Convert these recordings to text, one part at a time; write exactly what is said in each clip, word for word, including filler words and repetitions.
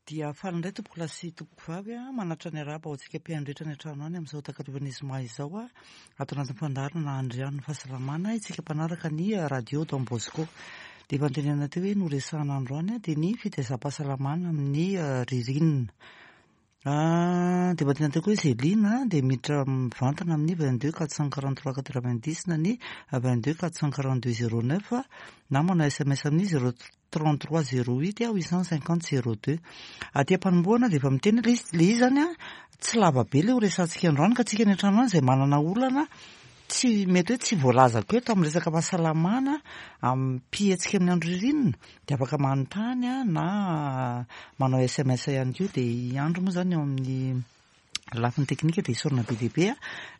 Dia faly indray tompoko lahy sy tompoko vavy a, manatitra ny arahaba ho antsika mpihaino rehetra any an-trano any amin'izao takarivan'ny zoma izao a, ato anatin'ny fandaharana Andrian'ny fahasalamana isika mpanaraka ny radio Don Bosco. Dia efa notenenina teo hoe noresahana androany dia ny fitaizam-pahasalamana amin'ny ririnina. Dia efa notenenina teo koa hoe izay liana dia miditra mivantana amin'ny vingt deux quatre cent quarante trois quatre vingt dix na ny vingt deux quatre cent quarante deux zéro neuf na manao S M S amin'ny zéro trente trois zéro huit huit cent cinquante zéro deux. Aty am-panombohana dia efa miteny le izy, le izy zany a tsy lava be le ho resahantsika androany, ka tsika any an-trano any izay manana olana tsy mety hoe tsy voalazako eto amin'ny resaka fahasalamana am-pihetsika amin'ny andro ririnina dia afaka manontany a na manao S M S ihany koa. Dia i Andro moa zany eo amin'ny lafiny teknika dia isaorana be dia be a,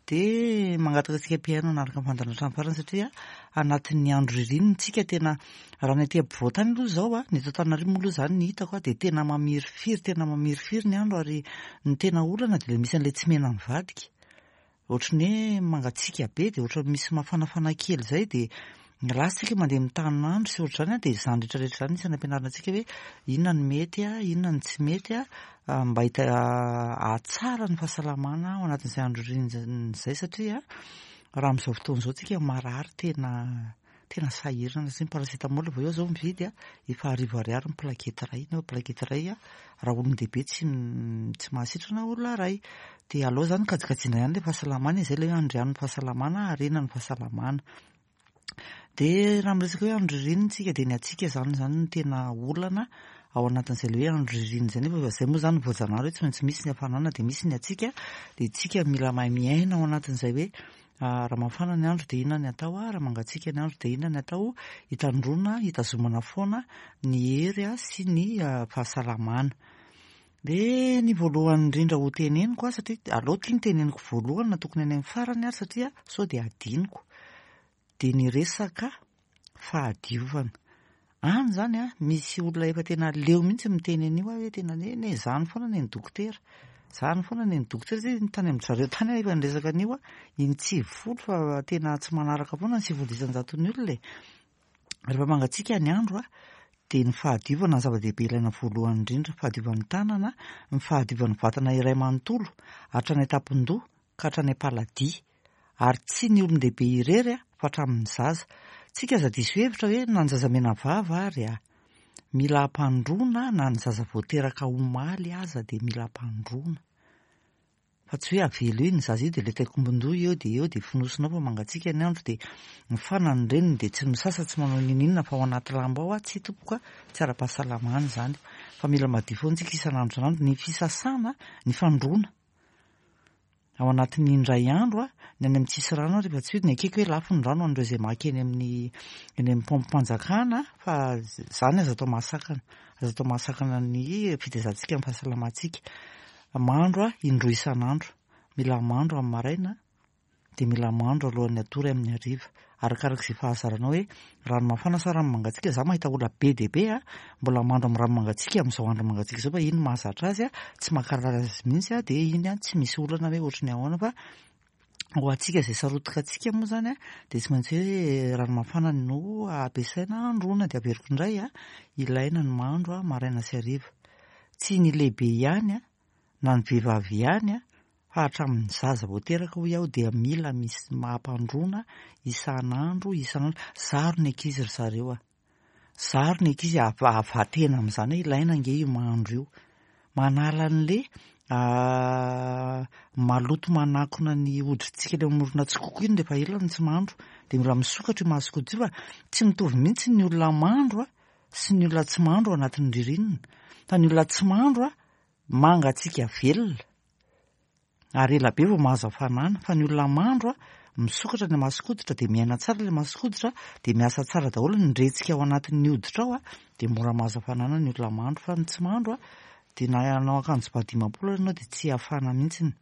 dia mangataka antsika mpihaino hanaraka ny fandaharana hatramin'ny farany, satria anatin'ny andro ririnina tsika. Tena raha ny aty ampovoan-tany aloha izao a, ny eto Antananarivo moa aloha izany ny hitako a, dia tena mamirifiry, tena mamirifiry ny andro. Ary ny tena olana dia misy an'ilay tsy mena mivadika, ohatry ny hoe mangatsiaka be dia ohatry misy mafanafana kely izay, dia lasa tsika mandeha mitanin'andro sy ohatr'izany a. Dia izany rehetrarehetra izany isany ampianarina antsika hoe inona no mety a, inona no tsy mety a, mba hita ahatsara ny fahasalamana ao anatin'izay andro ririnina izay, satria raha amin'izao fotoana izao tsika marary tena tena sahirana, satria ny paracétamol vao eo zao mividy a efa arivo ariary ny plaquette iray, nefa plaquette iray a raha olon-dehibe tsy tsy mahasitrana olona iray. Dia aleo zany kajikajiana ihany le fahasalamana izay, le hoe andrian'ny fahasalamana, harena ny fahasalamana. Dia raha miresaka hoe andro ririnina tsika, dia ny antsika zany zany no tena olana ao anatin'izay le hoe andro ririnina izay, nefa izay moa zany voajanahary hoe tsy maintsy misy ny hafanana dia misy ny hatsiaka. Dia tsika mila mahay miaina ao anatin'izay hoe raha mafana ny andro dia inona ny atao a, raha mangatsiaka ny andro dia inona ny atao hitandroana, hitazomana foana ny hery a sy ny fahasalamana. Dia ny voalohany indrindra ho teneniko a, satria aleo tia ny teneniko voalohany na tokony any amin'ny farany ary, satria sao dia adinoko, dia ny resaka fahadiovana any zany a, misy olona efa tena leo mihitsy miteny an'io aho hoe tena ne zany foana ny ny dokotera, zany foana ny ny dokotera zay tany amin-dry zareo tany aho efa niresaka an'io a in-tsivifolo, fa tena tsy manaraka foana ny sivifolo isan-jaton'ny olona e. Rehefa mangatsiaka ny andro a, dia ny fahadiovana ny zava-dehibe ilaina voalohany indrindra, fahadiovan'ny tanana, ny fahadiovan'ny vatana iray manontolo hatrany an-tampon-doha ka hatrany am-paladia, ary tsy ny olon-dehibe irery a fa hatramin'ny zaza. Tsika aza diso hevitra hoe na ny zaza mena vava ary a mila ampandroana, na ny zaza voateraka omaly aza dia mila ampandroana, fa tsy hoe avelo iny zaza io dia le taikombon-doha eo dia eo dia fonosinao fa mangatsiaka ny andro, dia mifana ny reniny dia tsy misasa, tsy manao n'inon'inona fa ao anaty lamba ao a. Tsy tompoko a, tsy ara-pahasalamana izany, fa mila madio foana tsika isan'andro isan'andro. Ny fisasana, ny fandroana ao anatin'ny indray andro a, ny any amin'ny tsisy rano rehefa tsy hoe ny akeko hoe lafo ny rano an'ireo izay maka eny amin'ny eny amin'ny paompim-panjakana, fa zany aza atao mahasakana, aza atao mahasakana ny fitaizantsika amin'ny fahasalamantsika. Mandro a indroa isan'andro, mila mandro amin'ny maraina dia mila mandro alohan'ny hatory amin'ny hariva, arakaraka izay fahazaranao hoe rano mafana sa rano mangatsiaka. Za mahita olona be dia be a mbola mandro amin'ny rano mangatsiaka amin'izao andro mangatsiaka izao, fa iny mahazatra azy a, tsy mankarary azy mihitsy a, dia iny a tsy misy olana hoe ohatry ny ahoana. Fa ho antsika izay sarotika antsika moa zany a, dia tsy maintsy hoe rano mafana no ampiasaina androana. Dia averiko indray a, ilaina ny mandro a maraina sy hariva, tsy ny lehibe ihany a na ny vehivavy ihany a fa hatramin'ny zaza voateraka hoy aho dia mila misy mampandroana isan'andro isan'andro. Zaro ny ankizy ry zareo a, zaro ny ankizy avatena amin'izany hoe ilaina ange io mandro io, manala an'le maloto manakona ny hoditsika le mamorona tsikoko iny rehefa ela no tsy mandro, dia mila misokatra io mason-koditra io. Fa tsy mitovy mihitsy ny olona mandro a sy ny olona tsy mandro ao anatin'ny ririnina, fa ny olona tsy mandro a mangatsiaka velona ary ela be vao mahazo hafanana, fa ny olona mandro a misokatra ny mason-koditra dia miaina tsara ilay mason-koditra, dia miasa tsara daholo ny retsika ao anatin'ny hoditra ao a, dia mora mahazo hafanana ny olona mandro. Fa ny tsy mandro a dia na hanao akanjo ba dimampolo ary ianao dia tsy hafana mihitsiny.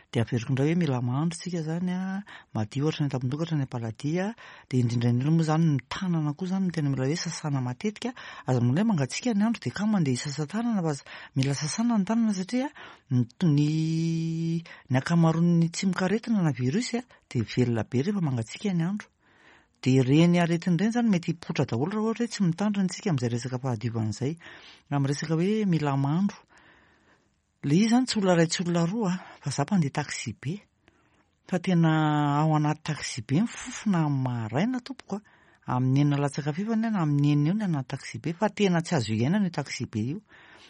Dia averiko indray hoe mila mandro tsika zany a, madio hatrany an-tampon-doha hatrany am-paladia. Dia indrindra indrindra moa zany ny tanana koa zany no tena mila hoe sasana matetika. Aza manao hoe mangatsiaka ny andro dia kamo mandeha hisasa tanana, fa mila sasana ny tanana, satria ny ny ankamaroan'ny tsimokaretina na virus a dia velona be rehefa mangatsiaka ny andro. Dia ireny aretina ireny izany mety hipoitra daholo raha ohatra hoe tsy mitandrina isika amin'izay resaka fahadiovana izay. Amin'ny resaka hoe mila mandro. Ilay izy izany tsy olona iray tsy olona roa fa izaho mpandeha taxi be. Fa tena ao anaty taxi be ny fofona amin'ny maraina tompoko a. Amin'ny enina latsaka fahefany na amin'ny enina eo ny anaty taxi be fa tena tsy azo iainana io taxi be io.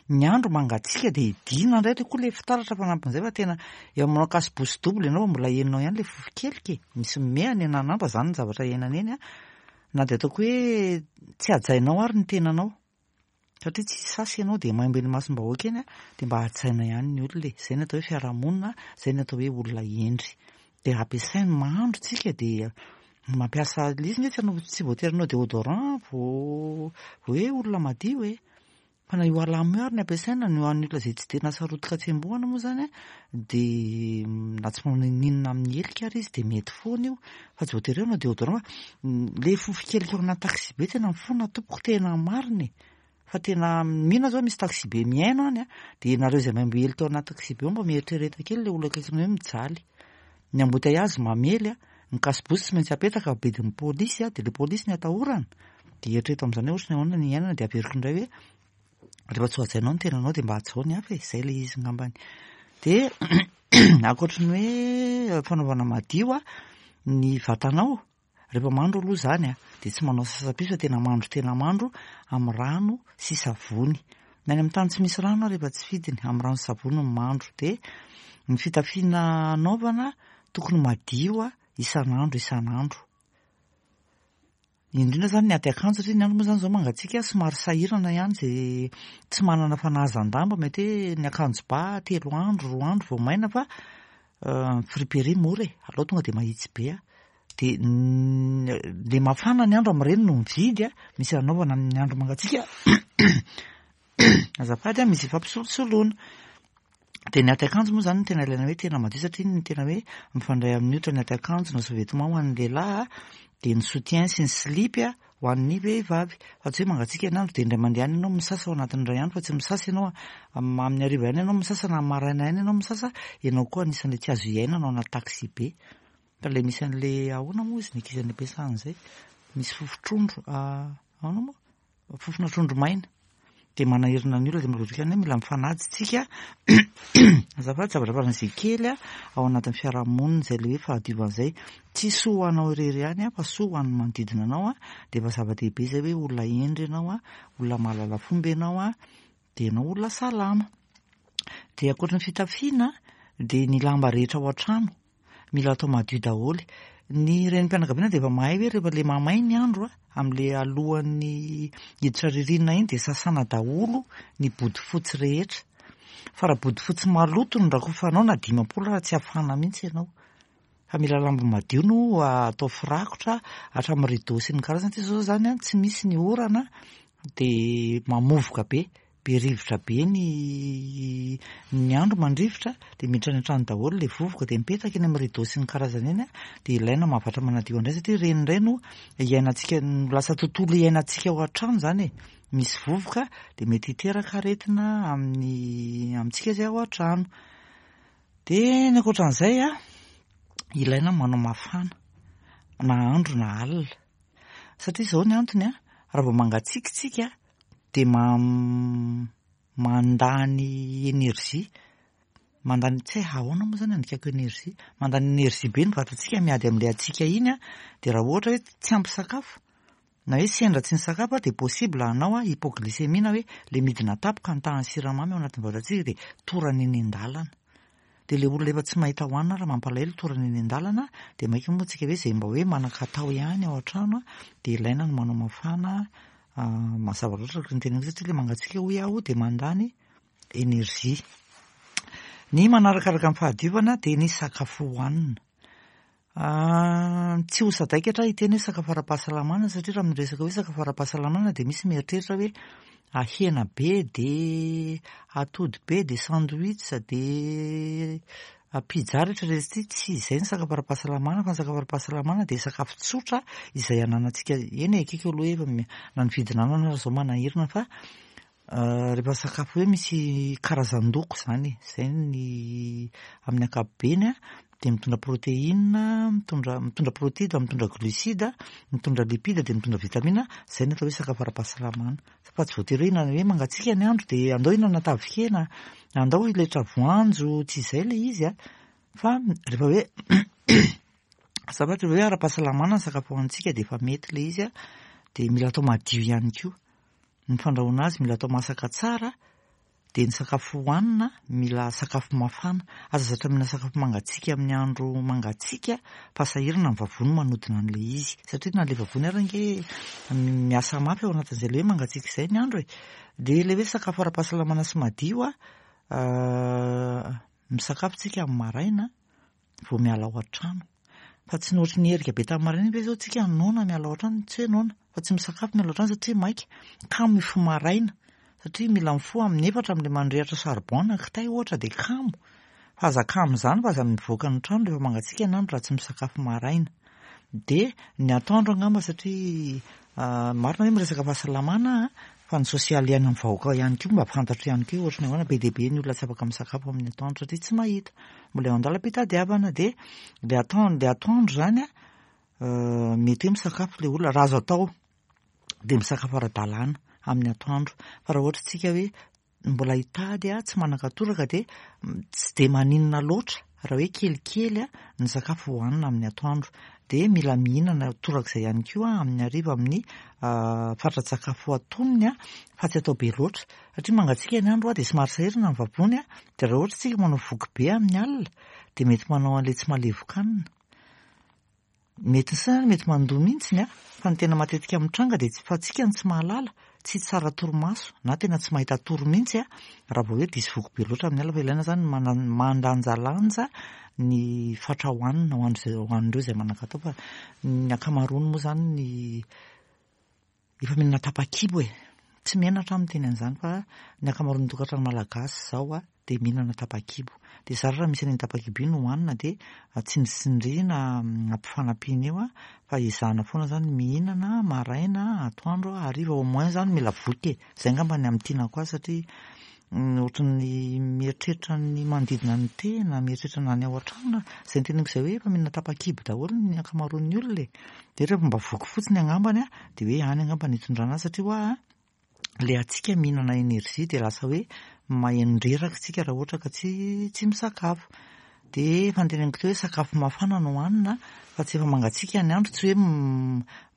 Ny andro mangatsiaka dia idina indray ilay koa ilay fitaratra fanampin'izay fa tena eo manao casse-bouche double ianao fa mbola henonao ihany ilay fofokelika e. Misy mihana eny an'andro fa izany ny zavatra iainana eny a. Na dia ataoko hoe tsy hajainao ary ny tenanao satria tsy sasy ianao dia maimbo eny imasom-bahoaka eny a, dia mba hajaina ihany ny olona e. Izay no atao hoe fiarahamonina, izay no atao hoe olona hendry. Dia ampiasainy mandro tsika dia mampiasa ilay izy nge tsy hanao tsy voatery hanao déodorant vao vao hoe olona madio e. Fa na io alamo io ary ny ampiasaina no an'ny olona izay tsy tena sarotika tsembohana moa izany a, dia na tsy manao n'inon'inona amin'ny helika ary izy dia mety foana io fa tsy voatery hoe hanao déodorant fa ilay fofokelika ao anaty taxi be tena mifona tompoko, tena marina e. Fa tena mino aho zao misy taxi be mihaino any a, dia nareo izay maimbo helika ao anaty taxi be ao mba mieritrereta kely ilay olona akaikinao hoe mijaly. Ny embouteillage mamely a, ny casse-bouche tsy maintsy apetaka bedin'ny polisy a, dia ilay polisy ny atahorana. Dia eritrereto amin'izany hoe ohatry ny ahoana ny iainana, dia averiko indray hoe rehefa tsy ho hajainao ny tenanao dia mba hajao ny hafa e, izay ilay izy ngambany. Dia ankoatry ny hoe fanaovana madio a, ny vatanao rehefa mandro aloha izany a, dia tsy manao sasa-piso fa tena mandro tena mandro amin'ny rano sy savony. Na any amin'ny tany tsy misy rano rehefa tsy fidiny, amin'ny rano sy savony no mandro. Dia ny fitafiana anaovana tokony madio a isan'andro isan'andro. Indrindra izany ny ady akanjo satria ny andro moa izany izao mangatsiaka somary sahirana ihany izay tsy manana fanahazan-damba, mety hoe ny akanjo ba telo andro, roa andro vao maina fa friperie mora e, aleo tonga dia mahitsy be a. Dia le mafana ny andro amin'ireny no mividy a, misy anaovana amin'ny andro mangatsiaka azafady a, misy fampisolosoloana. Dia ny ady akanjo moa izany no tena ilaina hoe tena madio satria ny tena hoe mifandray amin'ny hoditra ny ady akanjo na sous-vêtement ho an'ny lehilahy a, dia ny soutien sy ny slip a ho an'ny vehivavy. Fa tsy hoe mangatsiaka ny andro dia indray mandeha ihany ianao misasa ao anatin'ny iray andro fa tsy misasa ianao amin'ny hariva ihany ianao misasa na maraina ihany ianao misasa, ianao koa anisan'ilay tsy azo iainana ao anaty taxi be. Fa ilay misy an'ilay ahoana moa izy ny ankizy any am-piasana izay, misy fofon-trondro, ahoana moa? Fofona trondro maina. Dia manahirana ny olona dia marotoka ihany hoe mila mifanaja isika. Azafady, zavatra faran'izay kely a ao anatin'ny fiarahamonina izay ilay hoe fahadiovana izay. Tsy soa ho anao irery ihany a, fa soa ho an'ny manodidina anao a. Dia efa zava-dehibe izay hoe olona hendry ianao a, olona mahalala fomba ianao a, dia ianao olona salama. Dia ankoatry ny fitafiana dia ny lamba rehetra ao an-trano mila atao madio daholo. Ny renim-pianakaviana dia efa mahay hoe rehefa ilay mamay ny andro a, amin'ilay alohan'ny hiditra ririnina iny dia sasana daholo ny bodofotsy rehetra. Fa raha bodofotsy maloto no rakofanao na dimampolo raha tsy hafana mihitsy ianao. Fa mila lamba madio no atao firakotra hatramin'ny rideau sy ny karazany. Satria izao izany a, tsy misy ny orana dia mamovoka be, be rivotra be ny ny andro mandrivotra dia miditra any an-trano daholo ilay vovoka dia mipetraka eny amin'ny rideau sy ny karazany eny a, dia ilaina mahavatra manadio indray satria ireny indray no iainantsika, no lasa tontolo iainantsika ao an-trano izany e. Misy vovoka dia mety hiteraka aretina amin'ny amintsika izay ao an-trano. Dia ny ankoatran'izay a, ilaina manao mafana na andro na alina. Satria izao ny antony a, raha vao mangatsiaka isika dia ma- mandany énergie, mandany tsy hay ahoana moa izany andikako énergie, mandany énergie be ny vatantsika miady amin'ilay hatsiaka iny a, dia raha ohatra hoe tsy ampy sakafo na hoe sendra tsy nisakafo a, dia possible hanao a hypoglycémie na hoe ilay midina tampoka ny tahan'ny siramamy ao anatin'ny vatantsika dia torana eny an-dalana. Dia ilay olona efa tsy mahita hohanina raha mampalahelo torana eny an-dalana, dia maika moa tsika hoe izay mba hoe manan-katao ihany ao an-trano a, dia ilaina ny manao mafana. Mazava loatra araka ny teneniko satria ilay mangatsiaka hoy aho dia mandany énergie. Ny manarakaraka ny fahadiovana dia ny sakafo hohanina. Tsy ho sadaikatra hiteny hoe sakafo ara-pahasalamana satria raha miresaka hoe sakafo ara-pahasalamana dia misy mieritreritra hoe hena be dia atody be dia sandwich dia pizza rehetra rehetra ity. Tsy izay ny sakafo ara-pahasalamana fa ny sakafo ara-pahasalamana dia sakafo tsotra izay ananantsika. Eny e, akaiky aloha efa na ny vidina anana ary izao manahirana fa rehefa sakafo hoe misy karazan-doko izany e, izay ny amin'ny ankapobeny a, dia mitondra protéine, mitondra mitondra protide, mitondra glucide, mitondra lipide, dia mitondra vitamine. Izay no atao hoe sakafo ara-pahasalamana. Fa tsy voatery hoe hinana hoe mangatsiaka ny andro dia andao hihinana tavin-kena, andao hiletra voanjo, tsy izay ilay izy a. Fa rehefa hoe zavatra hoe ara-pahasalamana ny sakafo hohanintsika dia efa mety ilay izy a, dia mila atao madio ihany koa. Ny fandrahoana azy mila atao masaka tsara, dia ny sakafo hohanina mila sakafo mafana. Aza zatra mihinana sakafo mangatsiaka amin'ny andro mangatsiaka fa sahirana ny vavony manodina an'ilay izy. Satria na ilay vavony ary ange miasa mafy ao anatin'izay ilay hoe mangatsiaka izay ny andro e. Dia ilay hoe sakafo ara-pahasalamana sy madio a, misakafo tsika amin'ny maraina vao miala ao an-trano. Fa tsy ny ohatry ny herika be tamin'ny maraina ve zao tsika noana miala ao an-trano, tsy hoe noana fa tsy misakafo miala ao an-trano satria maika. Kamo mifoha maraina satria mila mifoha amin'ny efatra amin'ilay mandrehitra charbon na kitay ohatra dia kamo. Fa aza kamo izany fa aza mivoaka ny trano rehefa mangatsiaka ny andro raha tsy misakafo maraina. Dia ny atoandro angamba satria marina hoe miresaka fahasalamana fa ny sosialy iainan'ny vahoaka ihany koa mba fantatro ihany koa ohatry ny ahoana be dia be ny olona tsy afaka misakafo amin'ny atoandro satria tsy mahita. Mbola eo an-dalam-pitadiavana dia ilay atoandro ilay atoandro izany a mety hoe misakafo ilay olona raha azo atao dia misakafo ara-dalàna amin'ny atoandro. Fa raha ohatra tsika hoe mbola hitady a, tsy manan-katoraka dia tsy dia maninona loatra raha hoe kelikely a ny sakafo hohanina amin'ny atoandro. Dia mila mihinana torak'izay ihany koa amin'ny hariva amin'ny fatran-tsakafo antonony a, fa tsy atao be loatra. Satria mangatsiaka ny andro a dia somary sahirana ny vavony a, dia raha ohatra tsika manao voky be amin'ny alina dia mety manao an'ilay tsy mahalevokanina. Mety ny saina mety mandoa mihitsiny a, fa ny tena matetika mitranga dia fa tsika no tsy mahalala, tsy tsara torimaso na tena tsy mahita tory mihitsy a raha vao hoe diso voky be loatra amin'ny alina. Fa ilaina izany mandanjalanja ny fatra hohanina ho an'izay ho an'ireo izay manan-katao fa ny ankamaroany moa izany ny efa mihinana tapa-kibo e. Tsy menatra aho miteny an'izany fa ny ankamaroan'ny tokantrano malagasy izao a dia mihinana tapa-kibo. Dia zara raha misy an'iny tapa-kibo iny hohanina dia tsindritsindriana ampifanampiana eo a, fa ezahana foana izany mihinana maraina, atoandro, hariva au moins izany mila voky e. Izay angamba ny amintianako azy satria ohatran'ny mieritreritra ny manodidina ny tena, mieritreritra na ny ao an-trano. Izay noteneniko izay hoe efa mihinana tapa-kibo daholo ny ankamaroan'ny olona e. Dia rehefa mba voky fotsiny angambany a, dia hoe any angamba no hitondrana azy satria hoa ilay antsika mihinana énergie dia lasa hoe maheno-dreraka isika raha ohatra ka tsy tsy misakafo. Dia efa noteneniko teo hoe sakafo mafana no hohanina fa tsy efa mangatsiaka ny andro, tsy hoe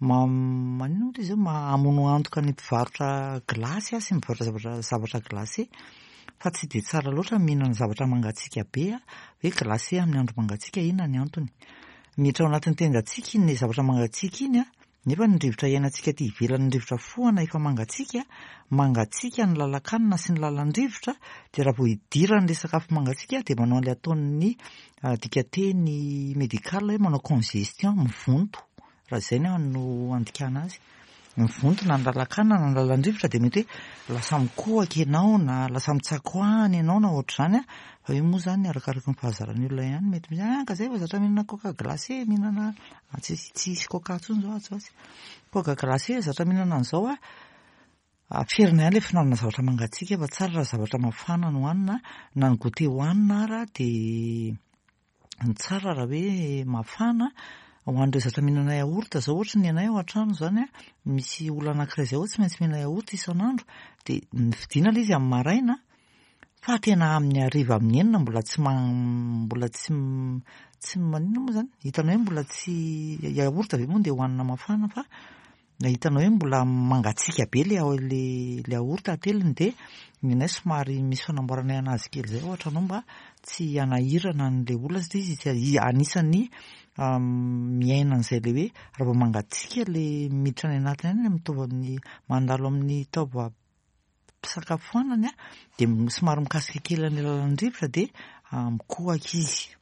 ma- maninona moa izy io mamono antoka ny mpivarotra glasy sy mivarotra zavatra zavatra glacé fa tsy dia tsara loatra mihinana zavatra mangatsiaka be a, hoe glacé amin'ny andro mangatsiaka inona ny antony. Miditra ao anatin'ny tendantsika iny zavatra mangatsiaka iny a, nefa ny rivotra iainantsika aty ivelany, ny rivotra fohana efa mangatsiaka, mangatsiaka ny lalan-kanina sy ny lalan-drivotra, dia raha vao idiran'ilay sakafo mangatsiaka dia manao an'ilay ataon'ny dikateny médical hoe manao congestion, mivonto, raha izay no andikana azy. Mivonto na ny lalan-kanina na ny lalan-drivotra dia mety hoe lasa mikohaka ianao na lasa mitsakoahana ianao na ohatr'izany a, fa io moa izany arakaraky ny fahazaran'ny olona ihany mety misy ah ka zay fa zatra mihinana coca glacé, mihinana tsy tsisy coca intsony izao atsy ho atsy. Coca glacé zatra mihinana an'izao a, aferina ihany ilay fihinanana zavatra mangatsiaka fa tsara raha zavatra mafana no hohanina, na ny goûter hohanina ara dia ny tsara raha hoe mafana. Ho an'ireo zatra mihinana yaourt zao ohatra ny anay ao an-trano izany a, misy olona anankiray izay ao tsy maintsy mihinana yaourt isan'andro, dia nividiana ilay izy amin'ny maraina fa tena amin'ny hariva amin'ny enina mbola tsy ma- mbola tsy tsy maninona moa izany, hitanao hoe mbola tsy yaourt ve moa dia hohanina mafana fa hitanao hoe mbola mangatsiaka be ilay ilay ilay yaourt ateliny dia ny anay somary misy fanamboaranay anazy kely izay ao an-trano ao mba tsy hanahirana an'ilay olona satria izy anisan'ny miaina an'izay ilay hoe raha vao mangatsiaka ilay miditra any anatiny any mitovy amin'ny mandalo amin'ny taovam-pisakafoanany a, dia somary mikasika kely an'ilay lalan-drivotra dia mikohaka izy.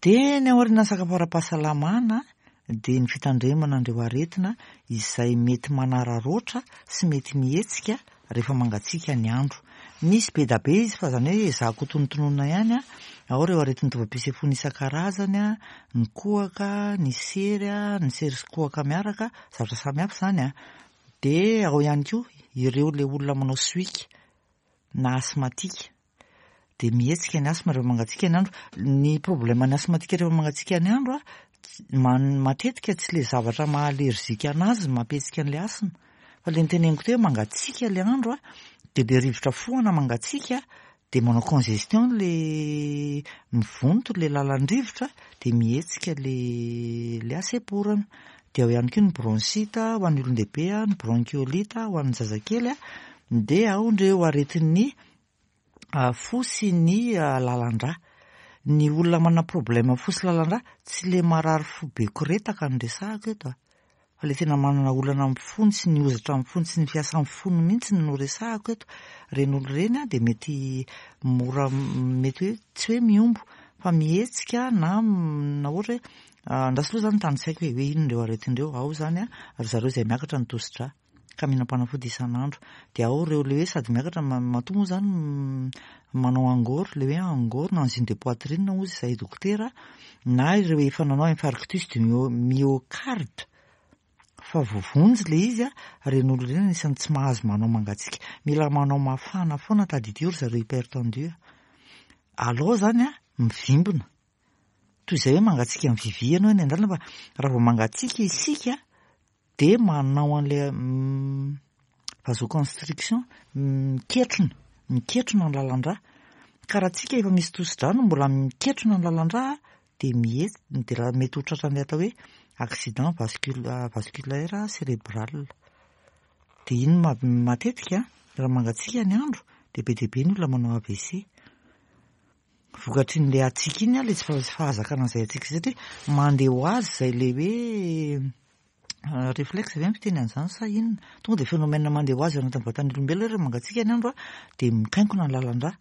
Dia ny aorian'ny sakafo ara-pahasalamana dia ny fitandremana an'ireo aretina izay mety manararaotra sy mety mihetsika rehefa mangatsiaka ny andro. Misy be dia be izy fa izany hoe ezahako tonontononina ihany a, ao ireo aretin'ny taovam-pisefoana isan-karazany a, ny kohaka, ny sery a, ny sery sy kohaka miaraka, zavatra samihafa izany a. Dia ao ihany koa ireo ilay olona manao sohika na asthmatique. De mihetsika ny asthme rehefa mangatsiaka ny andro. Ny problème ny asthmatique rehefa mangatsiaka ny andro a, matetika tsy le zavatra maha allergique anazy mampihetsika an'le asthme, fa le niteneniko teo hoe mangatsiaka le andro a, de le rivotra fohana mangatsiaka de manao congestion, le mivonto le lalan-drivotra, de mihetsika le le hasemporana. De ao ihany koa ny bronchite ho an'ny olon-dehibe a, ny bronchiolite ho an'ny zazakely a, de ao ndreo aretin'ny fo sy ny lalan-drà. Ny olona manana problème fo sy lalan-drà, tsy le marary fo be koretaka no resahako eto a, fa le tena manana olana amin'ny fony sy ny hozatra amin'ny fony sy ny fiasan'ny fony mihitsy no resahako eto. Reny olo reny a de mety mora, mety hoe tsy hoe miombo fa mihetsika, na na ohatra hoe andraso aloha zany tanisaiko hoe hoe inona ireo aretin-dreo ao zany a. Ry zareo izay miakatra ny tosidra ka mihinam-panafody isan'andro, de ao ireo le hoe sady miakatra matoa moa zany manao angor, le hoe angor na angine de poitrine hozy izay dokotera, na ireo efa nanao infarctus du myocarde fa voavonjy le izy a. Reny olo reny anisan'ny tsy mahazo manao mangatsiaka, mila manao mafana foana. Tadidio ry zareo hypertendu, alao zany a mivimbina toy izay hoe mangatsiaka mivivy ianao eny an-dalana, fa raha vao mangatsiaka isika de manao an'le vasoconstriction, miketrona miketrona ny lalan-drà. Ka raha tsika efa misy tosidra no mbola miketrona ny lalan-drà, de mihetsika, de raha mety ho tratran'ilay atao hoe accident vascul- vasculaire cérébral. De iny ma- matetika raha mangatsiaka ny andro de be dia be ny olona manao A V C vokatry n'le hatsiaka iny a, le tsy fahazakana an'izay hatsiaka izay, satria mandeha ho azy zay le hoe réflexe ve ny fiteny an'izany sa inona, tonga de phénomène mandeha ho azy ao anatin'ny vatan'ny olombelona. Rehefa mangatsiaka ny andro a, de mikainkona ny lalan-drà.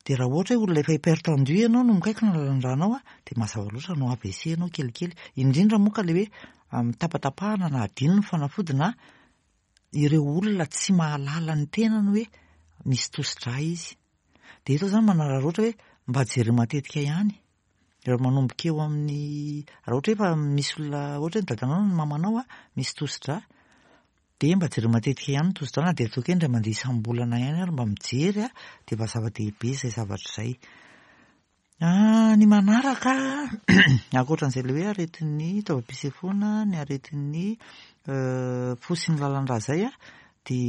De raha ohatra hoe olona efa hypertendu ianao no mikainkona ny lalan-drànao a, de mazava loatra hanao A V C ianao kelikely, indrindra moa ka le hoe mitapatapahana na adino ny fanafody, na ireo olona tsy mahalala ny tenany hoe misy tosidra izy. De eto zany manararaotra hoe mba jereo matetika ihany raha manomboka eo amin'ny, raha ohatra hoe efa misy olona, ohatra hoe ny dadanao na ny mamanao a misy tosidra, de mba jereo matetika ihany ny tosidra, na de ataoko hoe indray mandeha isam-bolana ihany ary mba mijery a, de efa zava-dehibe izay zavatra izay. Ny manaraka, ankoatran'izay le hoe aretin'ny taovam-pisefoana, ny aretin'ny fo sy ny lalan-drà zay a, de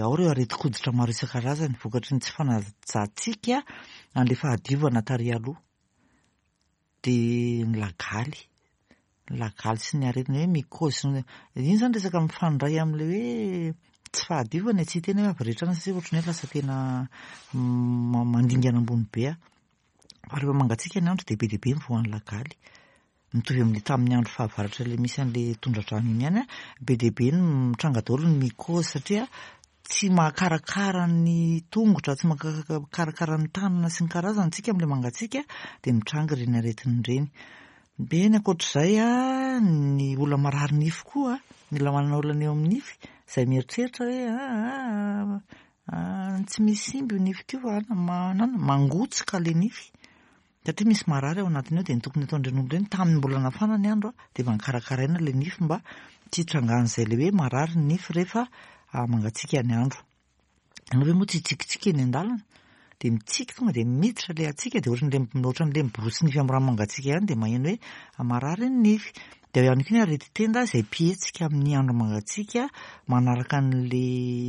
ao ireo aretin-koditra maro isan-karazany vokatry ny tsy fanajantsika an'le fahadiovana tary aloha, de ny lagaly, ny lagaly sy ny aretina hoe mycose, iny zany resaka mifandray amin'le hoe tsy fahadiovana. Tsy hiteny hoe avy rehetra any satria ohatran'ny hoe lasa tena mandingana ambony be a, fa rehefa mangatsiaka ny andro de be dia be ny voan'ny lagaly, mitovy amin'le tamin'ny andro fahavaratra le misy an'le tondra-drano iny ihany a. Be dia be ny mitranga daholo ny mycose satria tsy mahakarakara ny tongotra, tsy mahakarakara ny tanana sy ny karazany tsika amin'le mangatsiaka, de mitranga ireny aretina ireny. De ny ankoatr'izay a, ny olona marary nify koa, ny olona manana olana eo amin'ny nify izay mieritreritra hoe aa tsy misy simba io nifiko io fa manana mangotsika le nify satria misy marary ao anatiny ao. De ny tokony ataon'ireny olona ireny, tamin'ny mbola nafana ny andro a, de mba nikarakaraina le nify mba tsy hitrangan'izay le hoe marary ny nify rehefa mangatsiaka ny andro. Ianao ve moa tsy hitsikitsiky eny an-dalana, de mitsiky tonga de miditra le hatsiaka, de ohatran'le ohatran'le miborosy nify amin'ny rano mangatsiaka ihany, de maheno hoe marary ny nify. De ao ihany koa ny areti-tenda izay mpihetsika amin'ny andro mangatsiaka, manaraka an'le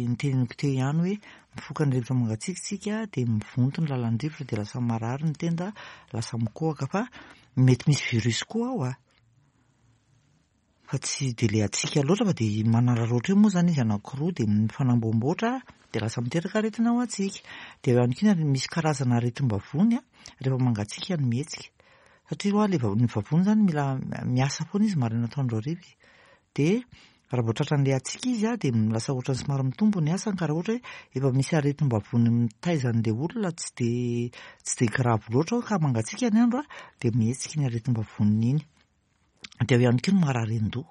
niteneniko teo ihany hoe mifoka ny rivotra mangatsiaka tsika, de mivonto ny lalan-drivotra, de lasa marary ny tenda, lasa mikohaka, fa mety misy virus koa ao a, fa tsy de le hatsiaka loatra, fa de manararaotra eo moa zany izy anankiroa, de mifanamboamboatra, de lasa miteraka aretina ho antsika. De eo ihany koa ny misy karazana aretim-bavony a rehefa mangatsiaka no mihetsika, satria hoa le ny vavony zany mila miasa foana izy maraina, atoandro, hariva, de raha vao tratran'le hatsiaka izy a, de lasa ohatran'ny somary mitombo ny asany. Ka raha ohatra hoe efa misy aretim-bavony mitaiza an'le olona tsy de tsy de grave loatra ao ka mangatsiaka ny andro a, de mihetsika iny aretim-bavoniny iny. De ao ihany koa ny marary an-doha,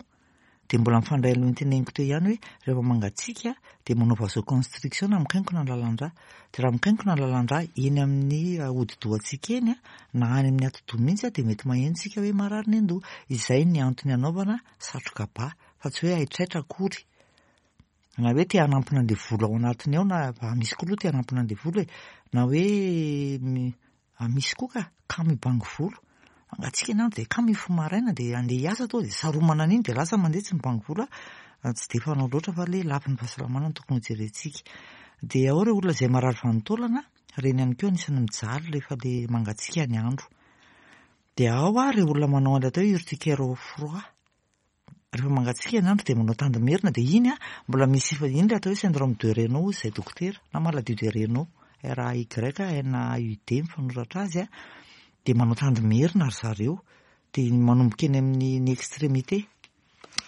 de mbola mifandray aloha niteneniko teo ihany hoe rehefa mangatsiaka de manao vasoconstriction na mikainkona ny lalan-drà. De raha mikainkona ny lalan-drà eny amin'ny hodi-dohantsika eny a, na any amin'ny atidoha mihitsy a, de mety maheno tsika hoe marary ny an-doha. Izay ny antony anaovana satroka ba, fa tsy hoe haitraitra akory. Na hoe te hanampina an'ilay volo ao anatiny ao, na misy koa aloha te hanampina an'ilay volo e, na hoe misy koa ka kamo hibango volo. Mangatsiaka ny andro dia kamo hifoha maraina dia andeha hiasa tonga dia saromana an'iny dia lasa mandeha tsy mibango volo a. Tsy dia fanao loatra fa ilay lafiny fahasalamana no tokony hojerentsika. Dia ao ireo olona izay marary vanin-taolana, ireny ihany koa anisan'ny mijaly rehefa ilay mangatsiaka ny andro. Dia ao ireo olona manao an'ilay atao hoe urticaire au froid. Rehefa mangatsiaka ny andro dia manao tandimerina dia iny a mbola misy iny ilay atao hoe syndrome de Raynaud izay dokotera na maladie de Raynaud, R A Y N A U D mifanoratra azy a, dia manao tandimerina ry zareo, dia manomboka eny amin'ny ny extrémité.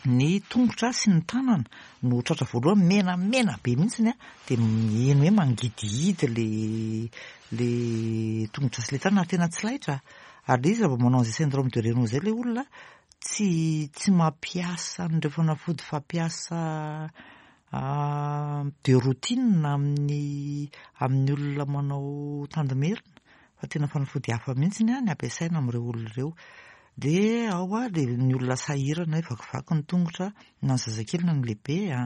Ny tongotra sy ny tanana no tratra voalohany, menamena be mihitsiny a, dia heno hoe mangidihidy le le tongotra sy le tanana, tena tsy laitra. Ary ilay izy raha vao manao an'izay syndrome de Raynaud izay ilay olona, tsy tsy mampiasa an'ireo fanafody fampiasa de routine amin'ny amin'ny olona manao tandimerina, fa tena fanafody hafa mihitsiny a ny ampiasaina amin'ireo olona ireo. Dia ao a le ny olona sahirana hoe vakivaky ny tongotra, na ny zazakely na ny lehibe a,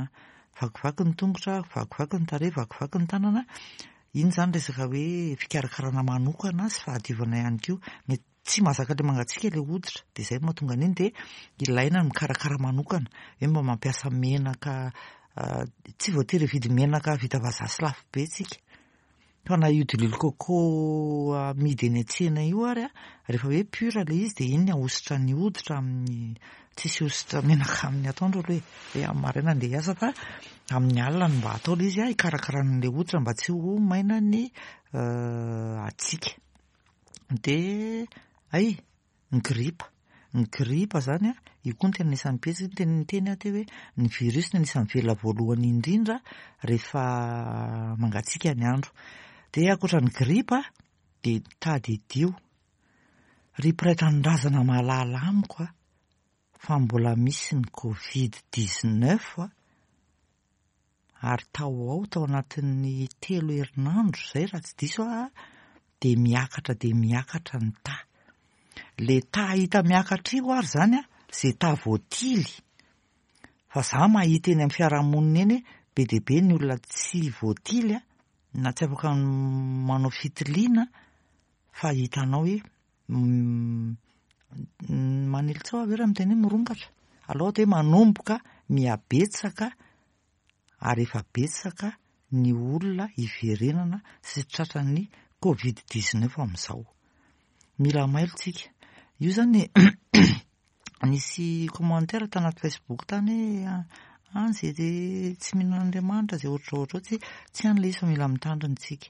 vakivaky ny tongotra, vakivaky ny tarehy, vakivaky ny tanana. Iny izany resaka hoe fikarakarana manokana sy fahadiovana ihany koa. Mety tsy mahazaka ilay mangatsiaka ilay hoditra, dia izay no mahatonga an'iny, dia ilaina ny mikarakara manokana, hoe mba mampiasa menaka, tsy voatery hividy menaka vita vazaha sy lafo be tsika. Fa na io diloilo coco amidy eny an-tsena io ary a, rehefa hoe pur ilay izy dia iny ahosotra ny hoditra amin'ny, tsisy hosotra menaka amin'ny atoandro aloha e, hoe amin'ny maraina andeha hiasa fa amin'ny alina no mba atao ilay izy a, hikarakarana an'ilay hoditra mba tsy ho maina ny hatsiaka. Dia ay, ny gripa. Ny gripa zany a, io koa no tena anisan'ny betsaka, ny tena niteny aho teo hoe ny virus no anisan'ny velona voalohany indrindra rehefa mangatsiaka ny andro. Dia ankoatra ny gripa dia tadidio, ry mpiray tanindrazana mahalala amiko a, fa mbola misy ny covid dix-neuf a, ary tao ao tao anatin'ny telo herinandro izay raha tsy diso aho, dia miakatra dia miakatra ny taha. Le taha hita miakatra io ary zany a, zay taha voatily. Fa za mahita eny amin'ny fiarahamonina eny be dia be ny olona tsy voatily a, na tsy afaka manao fitiliana, fa hitanao hoe manely tsao avy eo raha miteny hoe mirongatra. Aleo atao hoe manomboka mihabetsaka ary efa betsaka ny olona hiverenana sy tratran'ny covid dix-neuf amin'izao. Mila mailo tsika. Io zany nisy commentaire tanaty Facebook tany hoe ah, zay de tsy mino an'Andriamanitra, zay ohatra ohatra tsy tsy any ilay izy fa mila mitandrina tsika.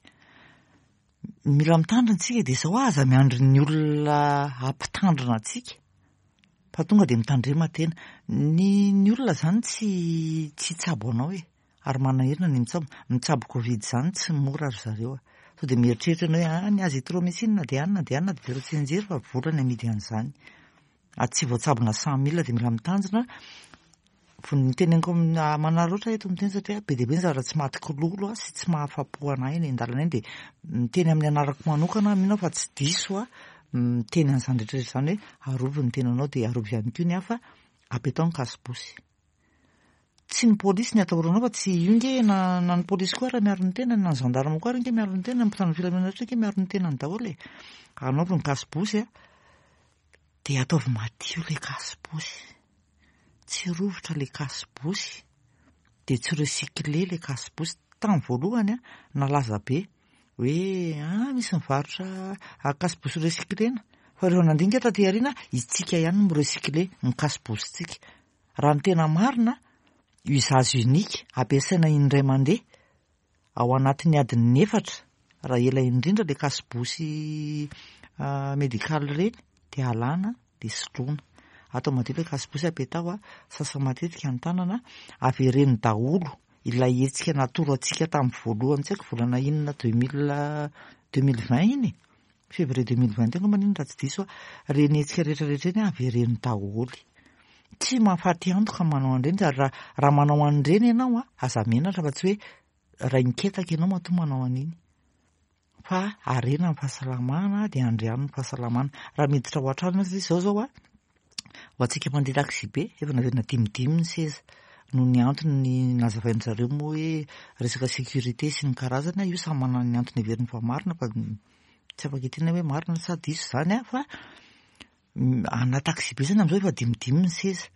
Mila mitandrina tsika dia izao aza miandry ny olona hampitandrina antsika, fa tonga dia mitandrema tena. Ny ny olona zany tsy tsy hitsabo anao e, ary manahirana ny mitsabo. Mitsabo covid zany tsy mora ry zareo a. Sao dia mieritreritra ianao hoe ah, ny azithromycine dia anina dia anina dia tsy nijery fa vola ny amidy an'izany. Ary tsy voatsabona cent mille dia mila mitandrina. Ny teneniko manararaotra eto miteny satria be dia be ny zavatra tsy maty kilolo sy tsy mahafapo anahy eny an-dalana eny, dia miteny amin'ny anarako manokana mino aho fa tsy diso aho miteny an'izany rehetra rehetra izany hoe arovy ny tenanao dia arovy ihany koa ny hafa, apetao ny kasibosy. Tsy ny polisy ny atahoranao fa tsy io nge na, na ny polisy koa raha miaro ny tenany, na ny gendarme koa ary nge miaro ny tenany, ny mpitandro filaminana rehetra nge miaro ny tenany daholo e. Anaovy ny kasibosy a, dia ataovy madio ilay kasibosy. Tsy rovitra ilay kasibosy, dia tsy recycler ilay kasibosy. Tamin'ny voalohany a, nalaza be hoe ah, misy mivarotra kasibosy recyclena. Fa rehefa nandinika taty aoriana, itsika ihany no mirecycler ny kasibositsika. Raha ny tena marina, usage unique ampiasaina indray mandeha ao anatin'ny adiny efatra, raha ela indrindra ilay kasibosy médical ireny dia alana dia soloina. Atao madio ilay kasibosy apetao a, sasa matetika ny tanana, avereno daholo ilay hetsika natoro antsika tamin'ny voalohany, tsy haiko volana inona deux mille deux mille vingt iny e, février deux mille vingt angamba iny raha tsy diso aho, ireny hetsika rehetrarehetra iny avereno daholo. Tsy mahafaty antoka manao an'ireny, ary raha raha manao an'ireny ianao a, aza menatra fa tsy hoe rainiketaka ianao matoa manao an'iny. Fa harena ny fahasalamana dia andriano ny fahasalamana. Raha miditra ao an-trano ianao satria izao zao a, ho antsika mandeha taxi be, efa naverina dimidimy ny seza. Noho ny antony nazavain-dry zareo moa hoe resaka sécurité sy ny karazany, io samy manana ny antony heveriny fa marina, fa tsy afaka hiteny hoe marina sa diso zany a. Fa ana taxi be zany am'izao efa dimidimy ny seza,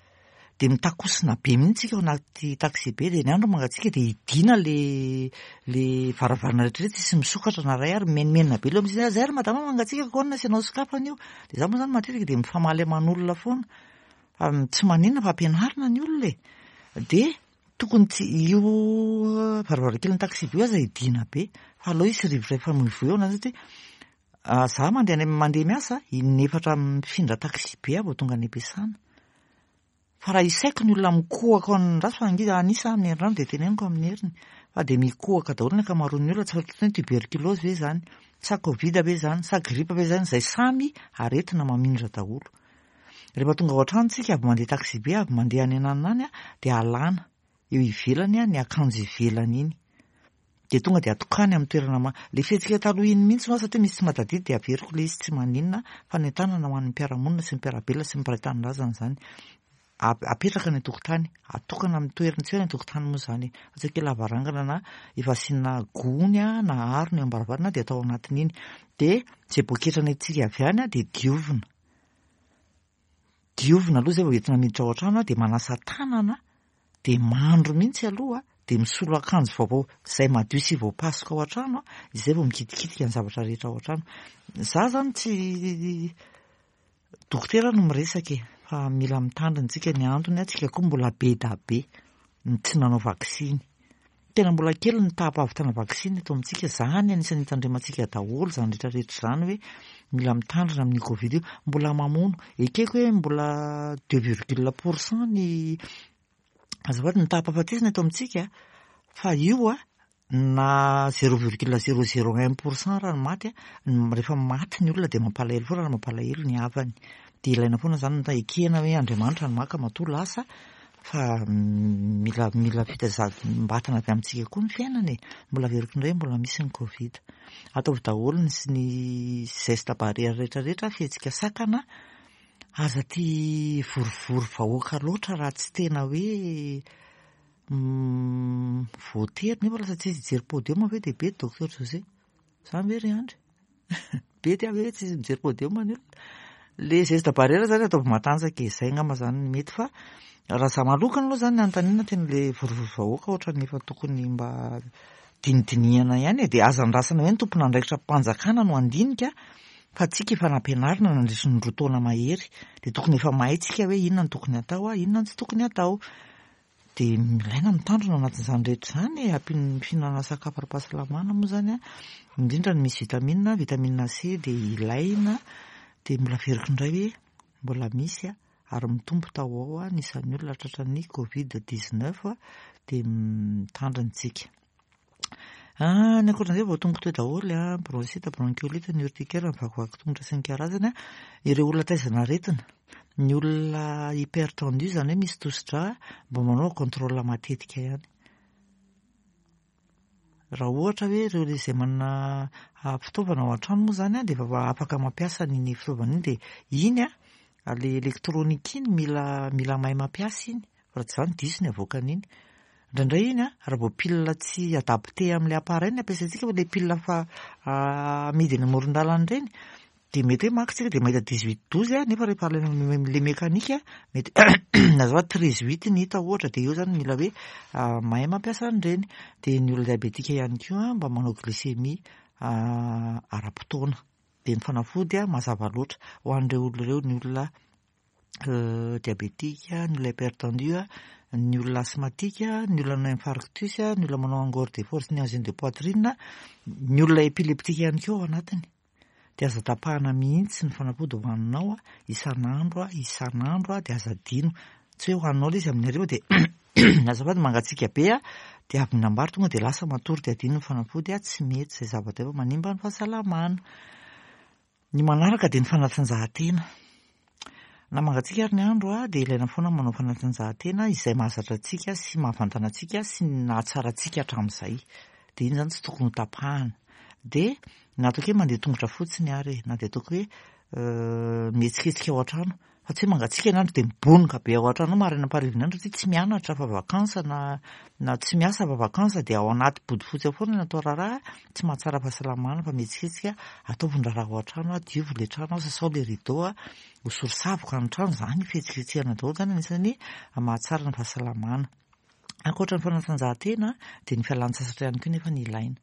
de mitakosina be mihitsy tsika ao anaty taxi be, de ny andro mangatsiaka de idina le le varavarana rehetrarehetra, tsisy misokatra na ray ary menimenina be aloha misy zay ary madama mangatsiaka ko anona asianao sokafana io. De za moa zany matetika de mifamaly aman'olona foana, fa tsy maninona fa ampianarina ny olona e. De tokony tsy io varavarankely ny taxi be io aza idina be, fa aleo hisy rivotra hifamoivoy ao anazy, satria za mandeha any mandeha miasa inefatra mifindra taxi be aho vao tonga any am-piasana. Fa raha isaiko ny olona mikohaka ao an-draso fa angiza anisa amin'ny herinandro de teneniko amin'ny heriny fa de mikohaka daholo ny ankamaroan'ny olona. Tsy fantatro hoe tuberculose ve zany sa covid ve zany sa grippe ve zany, zay samy aretina mamindra daholo. Rehefa tonga ao an-trano tsika, avy mandeha taxi be, avy mandeha any ananona any a, de alana eo ivelany a ny akanjo ivelany iny, de tonga de atokany amin'ny toerana ma le fihetsika taloha iny mihitsy moa, satria misy tsy mahatadidy de averiko le izy, tsy maninona, fanentanana ho an'ny mpiara-monina sy ny mpiara-belona sy ny mpiray tanindrazana zany. Apetraka ny an-tokotany, atokana amin'ny toerana, tsy hoe ny an-tokotany moa zany fa tsy hoe lavarangana na efa asiana gony a na arona eo am-baravarana de atao anatin'iny, de zay poketra nentintsika avy any a de diovina, diovina aloha zay vao entina miditra ao an-trano a, de manasa tanana, de mandro mihitsy aloha, de misolo akanjo vaovao zay madio sy voapasoka ao an-trano a, izay vao mikitikitika ny zavatra rehetra ao an-trano. Za zany tsy dokotera no miresaka e, fa mila mitandrina tsika. Ny antony a, tsika koa mbola be da be ny tsy nanao vaksiny, tena mbola kely ny taham-pahavitana vaksiny eto amintsika. Zany anisan'ny hitandremantsika daholo zany rehetrarehetra zany hoe mila mitandrina amin'ny covid io, mbola mamono. Ekeko hoe mbola deux virgule pour cent ny azafady ny taham-pahafatesana eto amintsika, fa io a na zéro virgule zéro zéro un pour cent raha ny maty a, rehefa maty ny olona de mampalahelo foana, raha mampalahelo ny havany de ilaina foana zany ny ekena hoe Andriamanitra ny maka matoa lasa, fa mila mila fitazam-batana avy amintsika koa ny fiainana e. Mbola averiko indray, mbola misy ny covid. Ataovy daholo ny sy ny geste barrière rehetrarehetra, fihetsika sakana, aza ty vorivory vahoaka loatra raha tsy tena hoe voatery, nefa lasa tsy izy hijery podium ve de be docteur José zany ve ry Andry be ty avy hoe tsy izy mijery podium ny olona. Le geste barrière zany ataovy matanjaka e, zay angamba zany ny mety. Fa raha za manokana aloha zany ny anontaniana, tena le vorivory vahoaka ohatrany efa tokony mba dinidinihana ihany e, de aza andrasana hoe ny tompon'andraikitra mpanjakana no andinika, fa tsika efa nampianarina nandritry ny roa taona mahery, de tokony efa mahay tsika hoe inona no tokony atao a, inona no tsy tokony atao. De ilaina mitandrina ao anatin'izany rehetra zany e, ampin'ny fihinanana sakafo ara-pahasalamana moa zany a, indrindra ny misy vitamine, vitamine C de ilaina. De mbola averiko indray hoe mbola misy a ary mitombo tao ao a ny isan'ny olona tratran'ny covid dix-neuf a, de mitandrina tsika. Ny ankoatran'izay vao tonga teo daholo a, bronchite, bronchiolite, ny urticaire, ny vakivaky tongotra sy ny karazany a, ireo olona taizana aretina, ny olona hypertendu zany hoe misy tosidra, mba manao contrôle matetika ihany. Raha ohatra hoe ireo izay manana fitaovana ao an-trano moa zany a, de efa afaka mampiasa n'iny fitaovana iny, de iny a le elektronika iny mila mila mahay mampiasa iny, fa raha tsy izany diso ny avoakan'iny. Indraindray iny a raha vao pile tsy adapté amin'ilay appareil ny ampiasaintsika, fa le pile fa amidy eny amoron-dalana ireny, de mety hoe maka tsika de mahita dix-huit douze a, nefa rehefa le mekanika mety azafady treize huit ny hita ohatra, de eo zany mila hoe mahay mampiasa an'ireny. De ny olona diabetika ihany koa mba manao glycémie ara-potoana, de ny fanafody a mazava loatra ho an'ireo olona ireo, ny olona diabetika, ny olona hypertendu, ny olona asthmatique, ny olona manao infarctus, ny olona manao angor de force, ny angine de poitrine, ny olona épileptique ihany koa ao anatiny. De aza tapahana mihitsy ny fanafody hohaninao a isan'andro a isan'andro a, de aza adino, tsy hoe hohaninao ilay izy amin'ny hariva de azafady mangatsiaka be a, de avy mihinam-bary tonga de lasa matory de adino ny fanafody a, tsy mety izay zavatra efa manimba ny fahasalamana. Ny manaraka de ny fanatanjahantena. Na mangatsiaka ary ny andro a, de ilaina foana manao fanatanjahantena izay mahazatra antsika sy mahavantana antsika sy nahatsara antsika hatramin'izay. De iny zany tsy tokony ho tapahana. De na ataoko hoe mandeha tongotra fotsiny ary e, na de ataoko hoe mihetsiketsika ao an-trano, Fa tsy hoe mangatsiaka ny andro dia mibonoka be ao an-trano ao maraina am-parivin'ny andro satria tsy mianatra fa vacances na na tsy miasa fa vacances dia ao anaty bodofotsy ao foana no atao raharaha, tsy mahatsara fahasalamana fa mihetsiketsika, ataovy ny raharaha ao an-trano, diovy ilay trano, sasao ilay rideau, hosory savoka ny trano, izany fihetsiketsehana daholo izany anisan'ny mahatsara ny fahasalamana. Ankoatra ny fanatanjahantena dia ny fialan-tsasatra ihany koa nefa ny ilaina.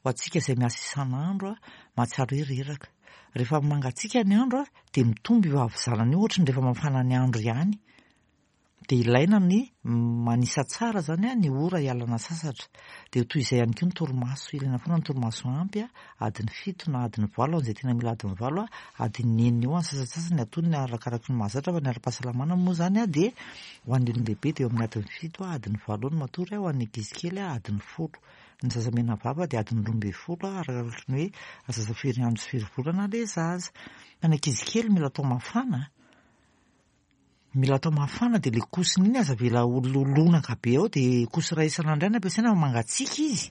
Ho antsika izay miasa isan'andro, mahatsiaro hoe reraka. Rehefa mangatsiaka ny andro dia mitombo io havizanana io ohatry ny rehefa mafana ny andro ihany. Dia ilaina ny manisa tsara izany ny ora hialana sasatra. Dia toy izay ihany koa ny torimaso. Ilaina foana ny torimaso ampy, adiny fito na adiny valo, izay tena mila adiny valo, adiny enina eo ny sasantsasany antonony arakaraky ny mahazatra fa ny ara-pahasalamana moa izany dia ho an'ny olon-dehibe dia eo amin'ny adiny fito, adiny valo eo no matory, ho an'ny ankizy kely adiny folo. Ny zaza mena vava dia adiny roa ambin'ny folo arakaraky ny hoe zaza firy andro sy firy volana ilay zaza. Fa ny ankizy kely mila atao mafana. Mila atao mafana dia ilay kosiny iny aza avela ho lonaka be ao dia kosy iray isan'andro ihany ampiasaina fa mangatsiaka izy.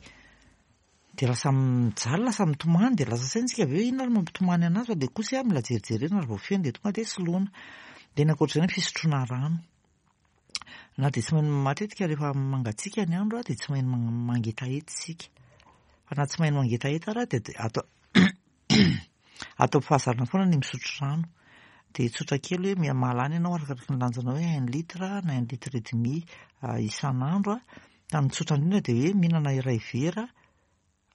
Dia lasa mijaly, lasa mitomany dia lasa saina isika avy eo inona ary mampitomany anazy fa ilay kosy mila jerijerena ary vao feno dia tonga dia soloina. Dia ny ankoatr'izay ny fisotroana rano. Na dia tsy mahay matetika rehefa mangatsiaka ny andro dia tsy mahay mangetaheta isika. Fa na tsy mahay mangetaheta ary dia atao atao fahazarana foana ny misotro rano. Dia tsotra kely hoe mahalany ianao arakaraky ny lanjanao hoe un litre na un litre et demi isan'andro. Fa ny tsotra indrindra dia hoe mihinana iray vera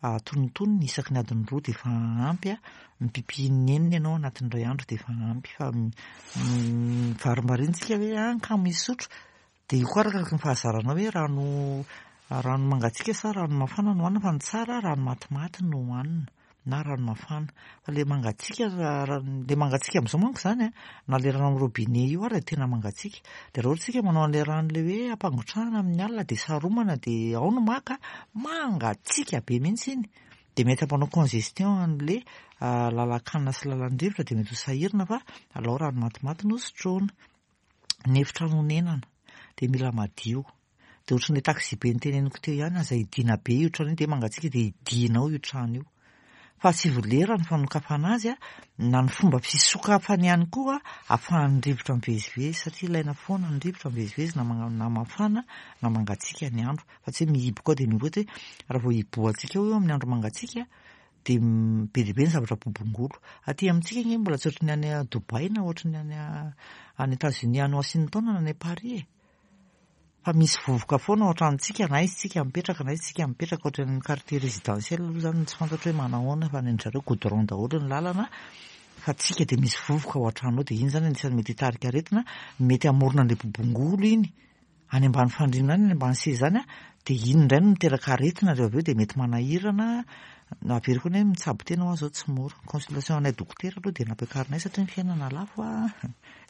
antonontonony isaky ny adiny roa dia efa ampy. Mipipy inenina ianao anatin'ny iray andro dia efa ampy. Fa mivarimbarina isika hoe ah kamo hisotro. Dia io koa arakaraky ny fahazaranao hoe rano rano mangatsiaka sa rano mafana no hohanina fa ny tsara rano matimaty no hohanina na rano mafana. Fa ilay mangatsiaka ilay mangatsiaka amin'izao manko izany na ilay rano amin'ny robinet io ary dia tena mangatsiaka. Dia raha ohatra isika manao an'ilay rano ilay hoe ampangotrahana amin'ny alina dia saromana dia ao no maka, mangatsiaka be mihitsy iny. Dia mety hampanao congestion an'ilay lalan-kanina sy lalan-drivotra dia mety ho sahirana fa alao rano matimaty no sotroina. Ny efitrano honenana dia mila madio. Dia ohatran'ilay taxi be noteneniko teo ihany, aza hidiana be io trano io dia mangatsiaka dia hidianao io trano io. Fa asivo lera ny fanokafana azy, na ny fomba fisokafany ihany koa ahafahan'ny rivotra mivezivezy satria ilaina foana ny rivotra mivezivezy na na mafana na mangatsiaka ny andro. Fa tsy hoe mihiboka ao dia mihiboka hoe raha vao hibohantsika eo amin'ny andro mangatsiaka dia be dia be ny zavatra bobongolo. Aty amintsika anie mbola tsy ohatran'ny any Dubaï na ohatran'ny any any États-Unis any Washington na any Paris e. Fa misy vovoka foana ao an-tranontsika na aiza tsika mipetraka na aiza tsika mipetraka ohatran'ny quartier résidentiel aloha izany tsy fantatro hoe manahoana fa ny an-dry zareo goudron daholo ny lalana fa tsika dia misy vovoka ao an-trano ao dia iny izany anisan'ny mety hitarika aretina, mety hamorona an'ilay bobongolo iny any ambany fandriana any, any ambany seza any dia iny indray no miteraka aretina rehefa avy eo dia mety manahirana. Averiko hoe mitsabo tena ho aho izao tsy mora. Consultation anay dokotera aloha dia nampiakarinay satria ny fiainana lafo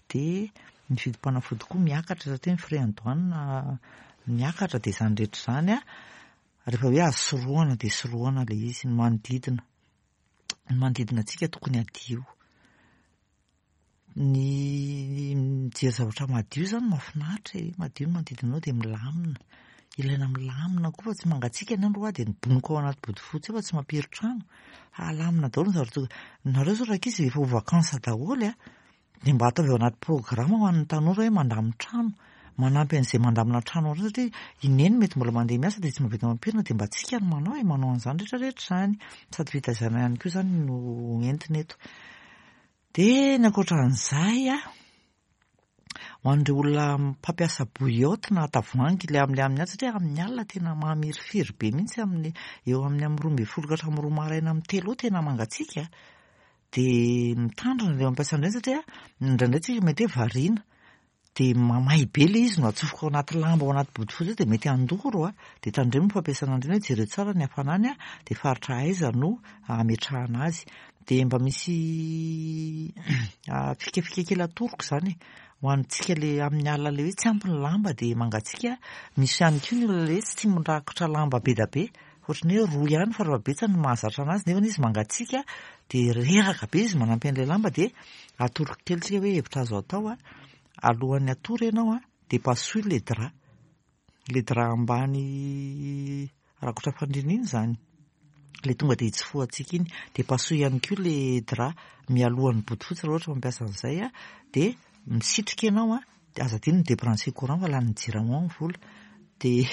dia ny vidim-panafody koa miakatra satria ny frais en douane miakatra dia izany rehetra izany rehefa hoe azo sorohana dia sorohana ilay izy. Ny manodidina, ny manodidina antsika tokony hadio. Ny mijery zavatra madio izany mahafinaritra e, madio ny manodidina anao dia milamina. Ilaina milamina koa fa tsy mangatsiaka ny andro hoa dia mibonoka ao anaty bodofotsy eo fa tsy mampiry trano. Alamina daholo ny zavatra. Nareo izao rankizy efa ho vacances daholo a, dia mba ataovy ao anaty programme ho an'ny tanora hoe mandamin-trano, manampy an'izay mandamina trano ao satria i neny mety mbola mandeha miasa dia tsy mahavita mampirina dia mba tsika no manao e, manao an'izany rehetrarehetra izany. Sady fitaizana ihany koa izany no entina eto. Dia ny ankoatran'izay a, ho an'ireo olona mpampiasa bouillotte na tavoahangy ilay amin'ilay amin'ny alina satria amin'ny alina tena mamirifiry be mihitsy amin'ny eo amin'ny amin'ny roa ambin'ny folo ka hatramin'ny roa maraina amin'ny telo eo tena mangatsiaka. Dia mitandrina ilay mampiasa an'ireny satria indraindray tsika mety hoe variana dia mamay be ilay izy no atsofoka ao anaty lamba ao anaty bodofotsy eo dia mety handoro a. Dia tandremo ny fampiasana an'ireny hoe jereo tsara ny hafanany a, dia faritra aiza no ametrahana azy. Dia mba misy fikafika kely atoroko izany e, ho antsika ilay amin'ny alina ilay hoe tsy ampy ny lamba dia mangatsiaka. Misy ihany koa ny olona ilay hoe tsy tia mirakotra lamba be dia be, ohatran'ny hoe roa ihany fa rehefa betsaka no mahazatra anazy nefa izy mangatsiaka dia reraka be izy manampy an'ilay lamba dia atoroko kely tsika hoe hevitra azo atao a, alohan'ny hatory ianao a dia pasoy ilay drap, ilay drap ambany rakotra fandriana iny izany, ilay tonga dia hitsofohantsika iny, dia pasoy ihany koa ilay drap mialohan'ny bodofotsy raha ohatra mampiasa an'izay a, dia Misitrika ianao a, de aza adino ny débrancher courant fa lanin'ny Jirama ny vola. De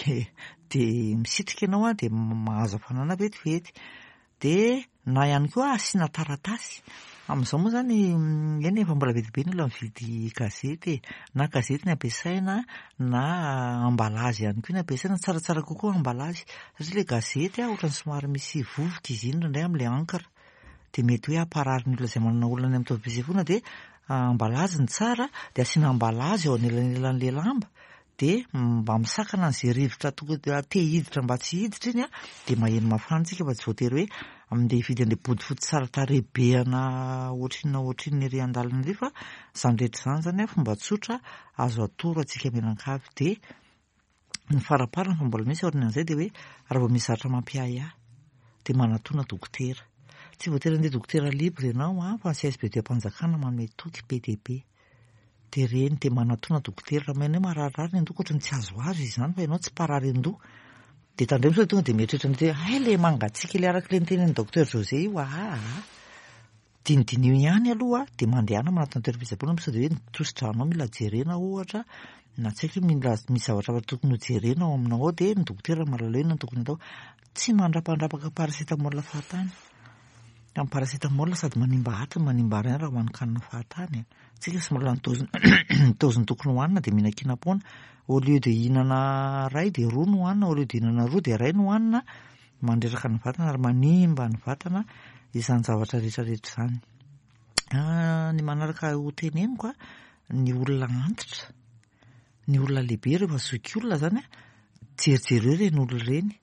de misitrika ianao a, de mahazo hafanana vetivety. De na ihany koa asiana taratasy. Amin'izao moa zany, eny, efa mbola be dia be ny olona mividy gazety e. Na gazety ny ampiasaina na emballage ihany koa ny ampiasaina, tsaratsara kokoa emballage satria ilay gazety a ohatran'ny somary misy vovoka izy iny indraindray amin'ilay encre. De mety hoe hamparary ny olona izay manana olana any amin'ny taovam-pisefoana, de emballage ny tsara, de asiana emballage eo anelanelan'ilay lamba, de mba misakana an'izay rivotra tokony te hiditra mba tsy hiditra iny a, de maheno mafana tsika fa tsy voatery hoe andeha hividy an'ilay bodofotsy tsara tarehy be ana ohatrinona ohatrinona ery an-dalana ery, fa izany rehetra izany zany a fomba tsotra azo atoro antsika mianankavy. De ny faraparany fa mbola misy aorianan'izay, de hoe raha vao misy zavatra mampiahiahy de manatona dokotera. Tsy voatery andeha dokotera libre ianao a, fa ny C S B D am-panjakana manome toky be dia be. De reny de manatona dokotera raha maheno hoe mararirary ny andoha, ohatran'ny tsy azoazo izy izany fa ianao tsy mparary andoha. De tandremo sao tonga de mieritreritra ny hoe hay le mangatsiaka le araka le nitenin'ny docteur José io. Aha, dinidinio ihany aloha, de mandehana manatona toeram-pitsaboana sao de hoe ny tosi-dranao mila jerena ohatra, na tsy haiko hoe mila misy zavatra hafa tokony ho jerena ao aminao ao, de ny dokotera mahalala hoe inona no tokony atao. Tsy mandrapandrapaka paracétamol fahatany. Ny paracétamol sady manimba atiny, manimba rein raha hohanin-kanina fahatany. Tsika sy mbola ny dose ny dose tokony hohanina de mihinan-kinam-poana. Au lieu de hihinana ray de roa no hohanina, au lieu de hihinana roa de ray no hohanina, mandreraka ny vatana ary manimba ny vatana izany zavatra rehetrarehetra izany. Ny manaraka ho teneniko a, ny olona antitra, ny olona lehibe, rehefa zoky olona zany a, jerijereo ireny olona ireny.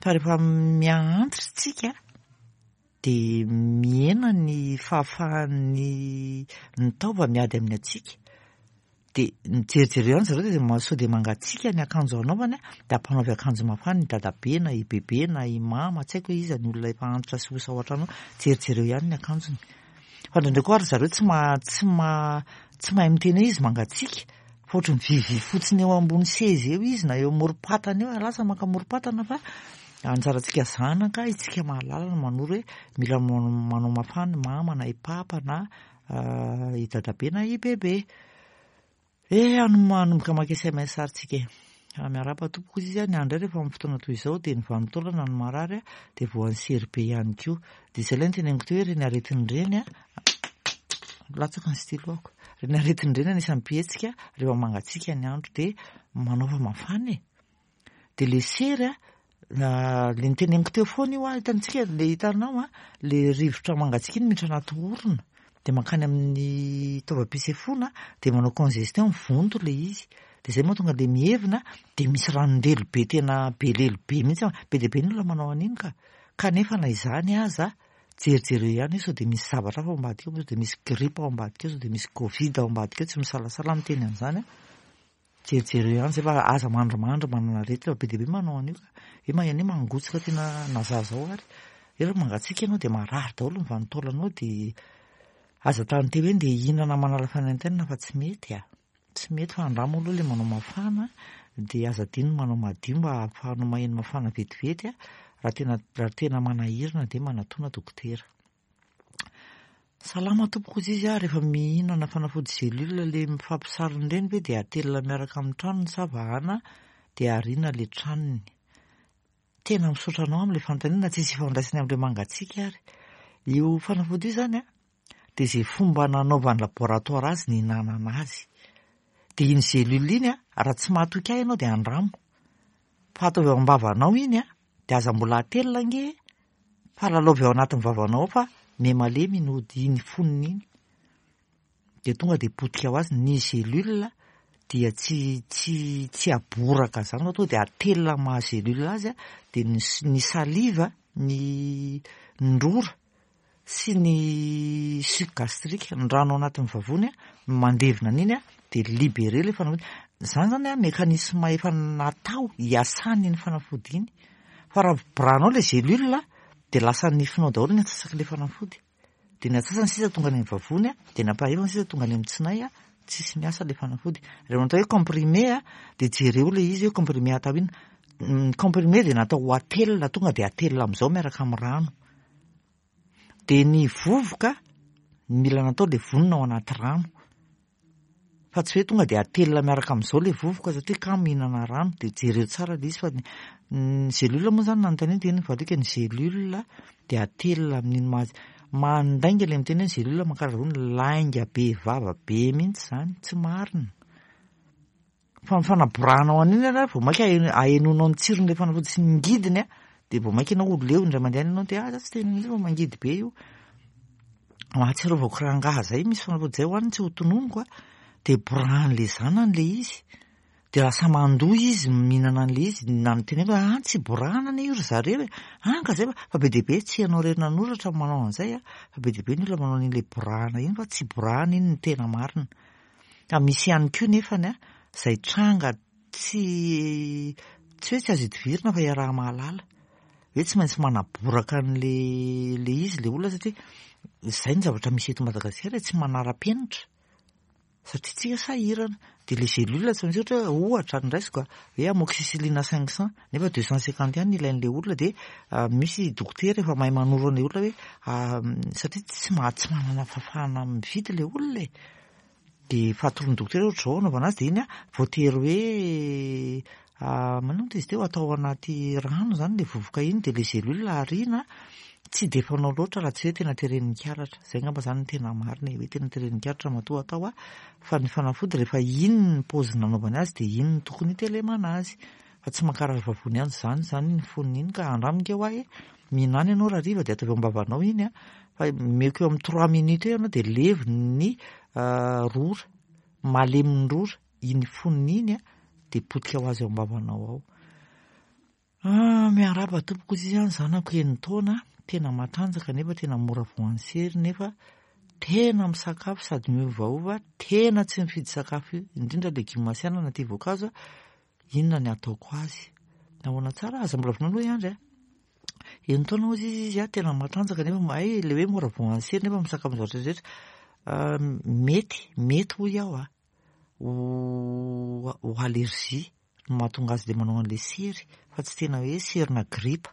Fa rehefa miha-antitra tsika de mihena ny fahafahan'ny ny taova miady amin'ny hatsiaka. De mijerijereo ihany zareo de sao de mangatsiaka ny akanjo anaovany a, de ampanaovy akanjo mafana i dadabe na i bebe na i mama, tsy haiko hoe iza ny olona efa antitra sy osa ao an-trano, jerijereo ihany ny akanjony. Fa indraindray koa ary zareo tsy ma tsy ma tsy mahay miteny hoe izy mangatsiaka, fa ohatry mivivivy fotsiny eo ambony seza eo izy na eo amorom-patana eo, lasa maka amorom-patana, fa anjarantsika zanaka, isika mahalala no manoro hoe mila manao mafana mama na i papa na i dadabe na i bebe. E manomboka maka S M S ary tsika e. Miarahaba tompoko izy izy a, ny andro rehefa amin'ny fotoana toy izao de ny vanin-taolana no marary a, de voan'ny sery be ihany koa. De izay ilay niteneniko teo hoe ireny aretina ireny a, latsaka ny stylo-ako. Ireny aretina ireny anisan'ny mpihetsika rehefa mangatsiaka ny andro, de manaova mafana e. De le sery a, le niteneniko teo foana io a, hitantsika le hitanao a, le rivotra mangatsiaka iny miditra anaty orona de mankany amin'ny taovam-pisefoana, de manao congestion, mivonto le izy. De zay mahatonga le mihevina, de misy ranon-delo be, tena be lelo be mihitsy, be dia be ny olona manao an'iny ka. Kanefa na izany aza, jerijereo ihany hoe sao de misy zavatra hafa ao ambadika ao, sao de misy grippe ao ambadika ao, sao de misy Covid ao ambadika ao, tsy misalasala miteny an'izany a. Jerijereo ihany zay fa aza mandrimandry manana aretina, fa be dia be manao an'io ka. Hoe maheno hoe mangotsika tena na zaza ao ary. Rehefa mangatsiaka ianao de marary daholo ny vanin-taolanao, de aza tany hoe ndeha hihinana manala fanaintainana fa tsy mety a. Tsy mety fa andramo aloha le manao mafana, de aza adino manao madio mba ahafahanao maheno mafana vetivety a. Raha tena raha tena manahirana de manatona dokotera. Salama tompoko izy izy a, rehefa mihinana fanafody gélule le mifampisarona ireny ve de atelina miaraka amin'ny tranony sa vahana de ariana le tranony? Tena misaotra anao amin'ilay fanontaniana, tsisy ifandraisany amin'ilay mangatsiaka ary. Io fanafody io zany a, de zay fomba nanaovan'ny laboratoire azy ny hinanana azy. De iny gélule iny a, raha tsy mahatoky ahy ianao de andramo. Fa ataovy ao am-bavanao iny a, de aza mbola atelina ange, fa lalaovy ao anatin'ny vavanao ao fa miha-malemy iny ody iny fonony iny. De tonga de potika ho azy ny gélule, dia tsy tsy tsy aboraka zany fa tonga de atelina maha gélule azy a, de ny ny salive, ny ny rora sy ny suc gastrique, ny rano ao anatin'ny vavony a, mandevina an'iny a, de libéré le fanafody. Zany zany a mécanisme efa natao hiasany iny fanafody iny. Fa raha borahanao le gélule de lasa nifinao daholo ny antsasak'ilay fanafody. De ny antsasany sisa tonga any amin'ny vavony a, de ny ampahefany sisa tonga any amin'ny tsinay a, tsisy miasa le fanafody. Rehefa natao hoe comprimé a, de jereo le izy hoe comprimé atao inona. Ny comprimé de natao ho atelina, tonga de atelina amin'izao miaraka amin'ny rano. De ny vovoka mila natao le vonona ao anaty rano. Fa tsy hoe tonga dia atelina miaraka amin'izao ilay vovoka satria kamo mihinana rano, dia jereo tsara ilay izy fa ny ny gélule moa izany nanontaniana dia iny valiaka ny gélule dia atelina amin'iny maha mandainga ilay miteny hoe ny gélule mankarary vavony, lainga be vava be mihitsy izany, tsy marina. Fa ny fanaborahanao an'iny ary vao mainka ahenoanao ny tsiron'ilay fanafody sy ny ngidiny a, dia vao mainka ianao ho leo indray mandeha any ianao dia ah za tsy te hihinana an'io fa mangidy be io. Mahatsiarovako rangahy izay misy fanafody izay hohaniny tsy ho tononiko a, dia borahan'ilay zanany ilay izy, dia lasa mandoa izy mihinana an'ilay izy, nanontaniako hoe ah tsy borahana anie io ry zareo e, ah ka zay fa, fa be dia be tsy ianao irery nanoratra no manao an'izay a, fa be dia be ny olona manao an'iny ilay borahana iny fa tsy borahana iny no tena marina. Ka misy ihany koa nefany a, izay tranga tsy tsy hoe tsy azo idivirina fa iaraha-mahalala, hoe tsy maintsy manaboraka an'le le izy le olona satria izay ny zavatra misy eto Madagasikara e, tsy manara-penitra satria tsika sahirana, dia le gélule tsy maintsy ohatra hoe ohatra ny raisiko a, hoe amoxicilline cinq cent nefa deux cent cinquante ihany ny ilain'ilay olona, dia misy dokotera efa mahay manoro an'ilay olona hoe satria tsy ma- tsy manana fahafahana mividy ilay olona e, dia efa atoron'ny dokotera hoe ohatr'izao anaovana azy, dia iny a voatery hoe maninona izy teo atao anaty rano izany ilay vovoka iny, dia ilay gélule ariana tsy dia fanao loatra raha tsy hoe tena teren'ny karatra, izay angamba izany no tena marina e, hoe tena teren'ny karatra matoa atao a, fa ny fanafody rehefa iny ny paozy nanaovany azy dia iny no tokony hitelemana azy, fa tsy mankarary vavony ihany izany izany ny fonony iny ka andramiko eo aho e, mihinana ianao raha hariva dia ataovy eo am-bavanao iny a, fa omeko eo amin'ny trois minutes eo ianao dia levony ny rora, malemy ny rora, iny fonony iny a dia potika ho azy eo am-bavanao ao. Ah, miarahaba tompoko izy izany, zanako enin-taona, tena matanjaka nefa tena mora voan'ny sery nefa tena misakafo sady miovaova, tena tsy mifidy sakafo io, indrindra legioma sy anana tia voankazo, inona ny ataoko azy? Nahoana tsara? Aza mbola vonoina aloha i Andry a. Enin-taona hozy izy izy a, tena matanjaka nefa hay ilay hoe mora voan'ny sery nefa misakafo ny zavatra rehetra. Mety, mety hoy aho a, ho ho allergie no mahatonga azy le manao an'ilay sery fa tsy tena hoe serina gripa.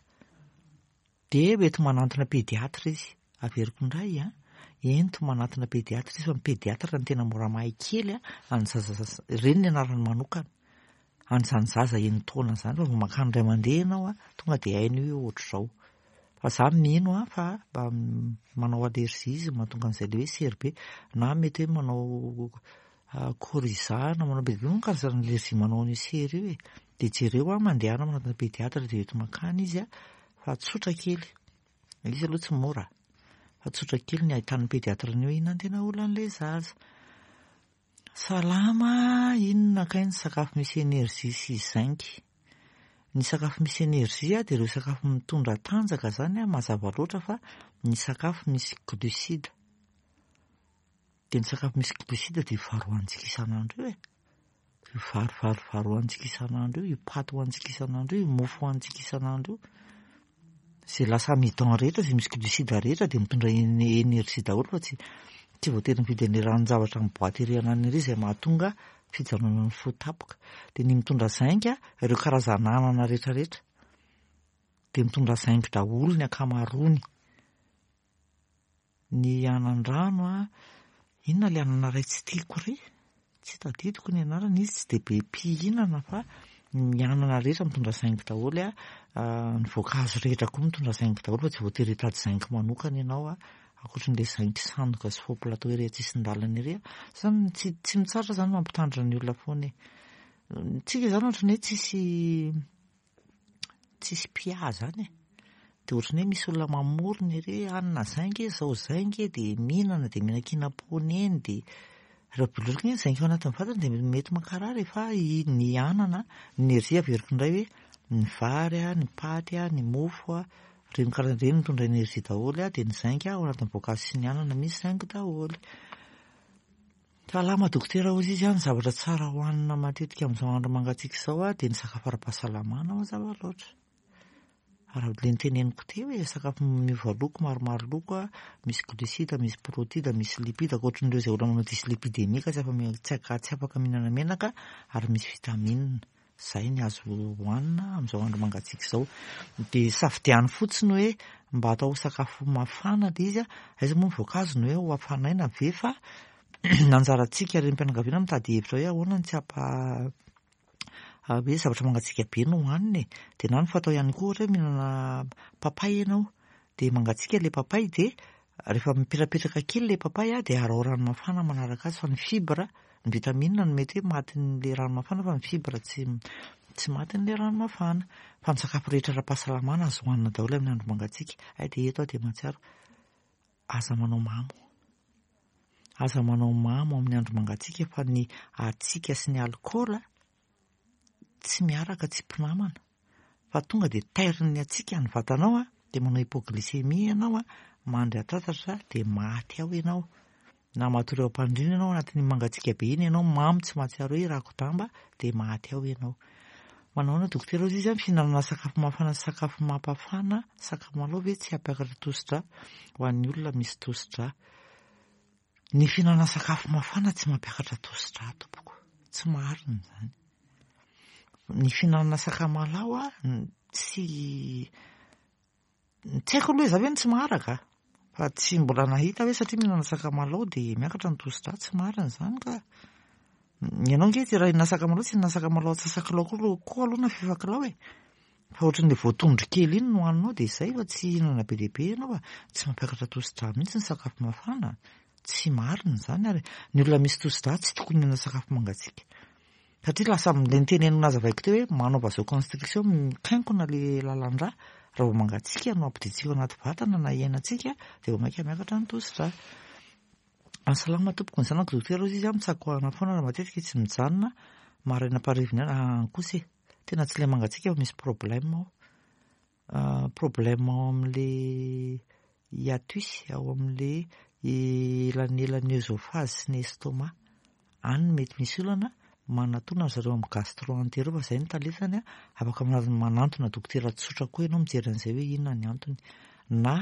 Dia mety manantona pédiatre izy, averiko indray a, ento manantona pédiatre izy fa ny pédiatre no tena mora mahay kely a, any zaza, ireny ny anarany manokana, an'izany zaza enin-taona izany fa vao mankany indray mandeha ianao a, tonga dia hainy hoe ohatr'izao. Fa za mino a fa mba manao allergie izy mahatonga an'izay le hoe sery be, na mety hoe manao coryza na manao be dia be moa ny karazana allergie manao an'io sery io e. Dia jereo a, mandehana manantona pédiatre dia eto mankany izy a, fa tsotra kely, izy aloha tsy mora, fa tsotra kely ny ahitan'ny pédiatre an'io inona no tena olan'ilay zaza. Salama, inona kay ny sakafo misy énergie sy zinc? Ny sakafo misy énergie dia ireo sakafo mitondra tanjaka izany a, mazava loatra fa ny sakafo misy glucide. Dia ny sakafo misy glucide dia vary hohanintsika isan'andro io e. Io vary vary vary hohanintsika isan'andro io, io paty hohanintsika isan'andro io, io mofo hohanintsika isan'andro io. Izay lasa amidon rehetra, izay misy glucide rehetra dia mitondra énergie daholo fa tsy tsy voatery mividy an'ilay ranon-javatra amin'ny boaty ery ananany ery izay mahatonga fijanonan'ny fo tampoka. Dia ny mitondra zinc ireo karazana anana rehetrarehetra dia mitondra zinc daholo ny ankamaroany. Ny anan-drano a, inona ilay anana iray tsy tiako ry? Tsy tadidiko ny anarany, izy tsy dia be mpihinana fa ny anana rehetra mitondra zinc daholo a, ny voankazo rehetra koa mitondra zinc daholo fa tsy voatery hitady zinc manokana ianao a, ankoatran'ilay zinc sandoka sy faux plateau ery an-tsisin-dalana ery a. Zany tsy tsy mitsahatra zany mampitandrina ny olona foana e. Tsika zany ohatran'ny hoe tsisy tsisy mpiahy zany e. Dia ohatran'ny hoe misy olona mamorona ery hoe hanina zinc e, zao zinc e, dia mihinana dia mihinan-kinam-poana eny, dia raha biloka iny zinc ao anatin'ny vatana dia mety mankarary fa ny anana, ny énergie averiko indray hoe ny vary a, ny paty a, ny mofo a, ireny karazana ireny mitondra énergie daholo a, dia ny zinc ao anatin'ny voankazo sy ny anana misy zinc daholo. Salama dokotera hozy izy a, ny zavatra tsara hohanina matetika amin'izao andro mangatsiaka izao a, dia ny sakafo ara-pahasalamana mazava loatra. Raha ilay noteneniko teo e, sakafo miova loko, maromaro loko a, misy glucide, misy protide, misy lipide, ankoatran'ireo izay olona manao dyslipidémie ka tsy afa- tsy tsy afaka mihinana menaka, ary misy vitamine. Izay ny azo hohanina amin'izao andro mangatsiaka izao. Dia safidiano fotsiny hoe mba atao sakafo mafana ilay izy a, aiza moa ny voankazo no hoe ho hafanaina ve fa Anjarantsika renim-pianakaviana mitady hevitra hoe ahoana ny tsy hampa hoe zavatra mangatsiaka be no hohanina e. Dia na ny fatao ihany koa ohatra hoe mihinana papay ianao, dia mangatsiaka ilay papay, dia rehefa mipetrapetraka kely ilay papay dia araho rano mafana manaraka azy, fa ny fibre, ny vitamine no mety hoe matin'ilay rano mafana, fa ny fibre tsy tsy matin'ilay rano mafana. Fa ny sakafo rehetra ara-pahasalamana azo hohanina daholo amin'ny andro mangatsiaka. Ay, dia eto aho dia mahatsiaro, aza manao mamo. Aza manao mamo amin'ny andro mangatsiaka, fa ny hatsiaka sy ny alikaola tsy miaraka, tsy mpinamana, fa tonga dia tairin'ny hatsiaka ny vatanao a, dia manao hypoglycémie ianao a, mandry an-tatatra dia maty ao ianao, na matory eo am-pandriana ianao anatin'ny mangatsiaka be iny ianao, mamo tsy mahatsiaro hoe rako-damba, dia maty ao ianao. Manao dokotera ozy izy, fihinanana sakafo mafana sy sakafo mampafana sakamalaho ve tsy hampiakatra tosidra ho an'ny olona misy tosidra? Ny fihinanana sakafo mafana tsy mampiakatra tosidra tompoko, tsy marina izany. Ny fihinanana sakamalaho a, tsy tsy haiko aloha hoe za ve no tsy maharaka, fa tsy mbola nahita hoe satria mihinana sakamalaho dia miakatra ny tosidra, tsy marina izany ka. Ianao nge raha hihinana sakamalaho, tsy hihinana sakamalaho antsasakilao koa koa aloha na fefakilao e, fa ohatran'ilay voatondro kely iny no hohaninao dia izay, fa tsy hihinana be dia be ianao, fa tsy mampiakatra tosidra mihitsy ny sakafo mafana, tsy marina izany. Ary ny olona misy tosidra tsy tokony hihinana sakafo mangatsiaka, satria lasa ilay nitenenina nazavaiko teo hoe manao vasoconstriction, mikainkona ilay lalan-drà raha vao mangatsiaka no ampidintsika ao anaty vatana na iainantsika, dia vao mainka miakatra ny tosidra. Salama tompoko, ny zanako dokotera ozy izy mitsakoahana foana raha matetika tsy mijanona maraina am-pariviny ihany kosa e, tena tsy ilay mangatsiaka fa misy problème ao, problème ao amin'ilay hiatus, ao amin'ilay elanelan'ny œsophage sy ny estomac, any mety misy olana. Manatona zareo amin'ny gastro-entero fa izay no talentany, afaka manantona dokotera tsotra koa ianao mijery an'izay hoe inona ny antony, na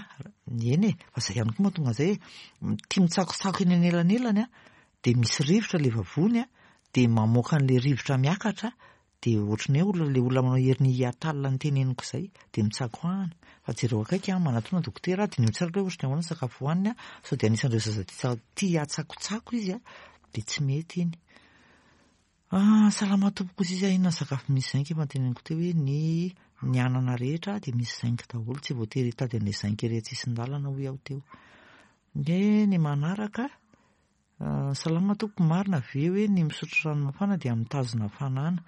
eny e, fa izay ihany koa mahatonga an'izay hoe tia mitsakotsako eny anelanelany a, dia misy rivotra ilay vavony a, dia mamoaka an'ilay rivotra miakatra, dia ohatran'ny hoe olona ilay olona manao hernie hiatal ny teneniko izay, dia mitsakoahana. Fa jereo akaiky a, manatona dokotera, diniho tsara hoe ohatran'ny ahoana ny sakafo hohaniny a, sao dia anisan'ireo zaza tia tia tsakotsako izy a, dia tsy mety iny. Ah, salama tompoko izy izy, inona ny sakafo misy zinc? Efa noteneniko teo hoe ny ny anana rehetra dia misy zinc daholo, tsy voatery hitady an'ilay zinc ery an-tsisin-dalana hoy aho teo. Ny ny manaraka, salama tompoko, marina ve hoe ny misotro rano mafana dia mitazona hafanana?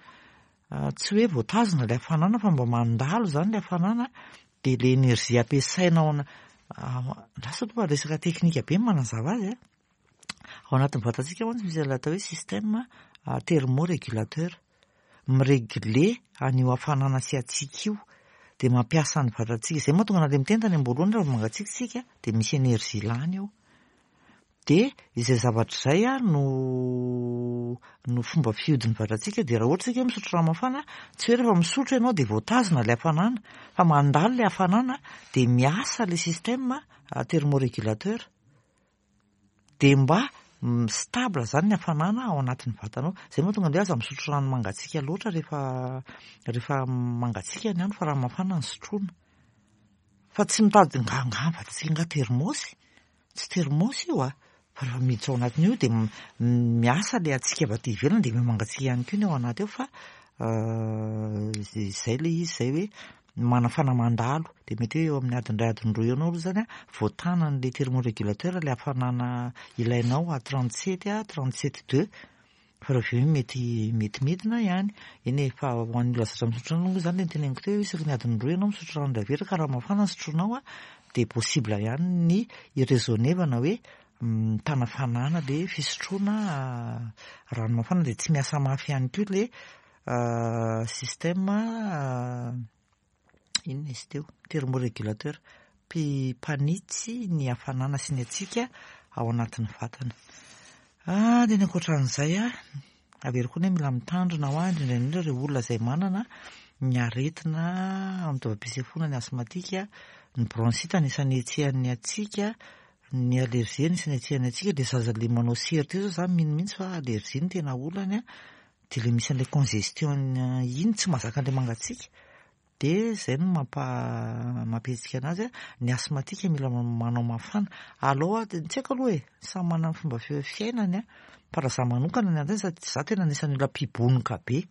Tsy hoe voatazona ilay hafanana, fa mba mandalo izany ilay hafanana, dia ilay énergie ampiasaina ao ana lasa aloha resaka teknika be ny manazava azy a. Ao anatin'ny vatantsika mantsy misy ilay atao hoe système thermorégulateur, mirégler an'io hafanana sy hatsiaka io, dia mampiasa ny vatantsika. Izay mahatonga an'ilay miteny tany am-boalohany, raha vao mangatsiaka isika dia misy énergie lany ao. Dia izay zavatra izay a no no fomba fihodin'ny vatantsika. Dia raha ohatra isika misotro rano mafana, tsy hoe rehefa misotro ianao dia voatazona ilay hafanana, fa mandalo ilay hafanana dia miasa ilay système thermorégulateur, dia mba stable zany ny hafanana ao anatin'ny vatanao. Izay mahatonga an'ilay aza misotro rano mangatsiaka loatra rehefa rehefa mangatsiaka ny andro, fa rano mafana no sotroina. Fa tsy mitady nga nga vatantsika nga thermos, tsy thermos io a, fa rehefa miditra ao anatin'io dia miasa ilay hatsiaka avy aty ivelany, dia mangatsiaka ihany koa ny ao anaty ao, fa izay ilay izy izay hoe manafana mandalo, dia mety hoe eo amin'ny adiny iray, adiny roa eo anao aloha zany a voatanan'ilay thermorégulateur ilay hafanana ilainao à trente sept à trente sept deux, fa raha avy eo mety mety midina ihany eny e. Fa ho an'ny olona zatra misotro rano moa zany, le noteneniko teo hoe isaky ny adiny roa ianao misotro rano indray averina, ka raha mafana ny sotroinao a, dia possible ihany ny iraisonevana hoe mitana hafanana le fisotroana rano mafana, dia tsy miasa mafy ihany koa le système inona izy teo, thermorégulateur, mpanitsy ny hafanana sy ny hatsiaka ao anatin'ny vatana. Ah, dia ny ankoatran'izay a, averiko koa ny hoe mila mitandrina ho ahy, indrindra indrindra ireo olona izay manana ny aretina amin'ny taovam-pisefoana, ny asthmatique, ny bronchite anisan'ny hetsehan'ny hatsiaka, ny allergie anisan'ny hetsehan'ny hatsiaka. Dia zaza le manao sery teo zao, za mino mihitsy fa allergie no tena olany a, dia le misy an'ilay congestion iny, tsy mahazaka an'ilay mangatsiaka. Dia izay no mampa mampihetsika anazy a. Ny asthmatique mila manao mafana. Alao tsy haiko aloha e, samy manana ny fomba fiainany a. Fa raha za manokana ny antony sady za tena anisan'ny olona mpibonoka be.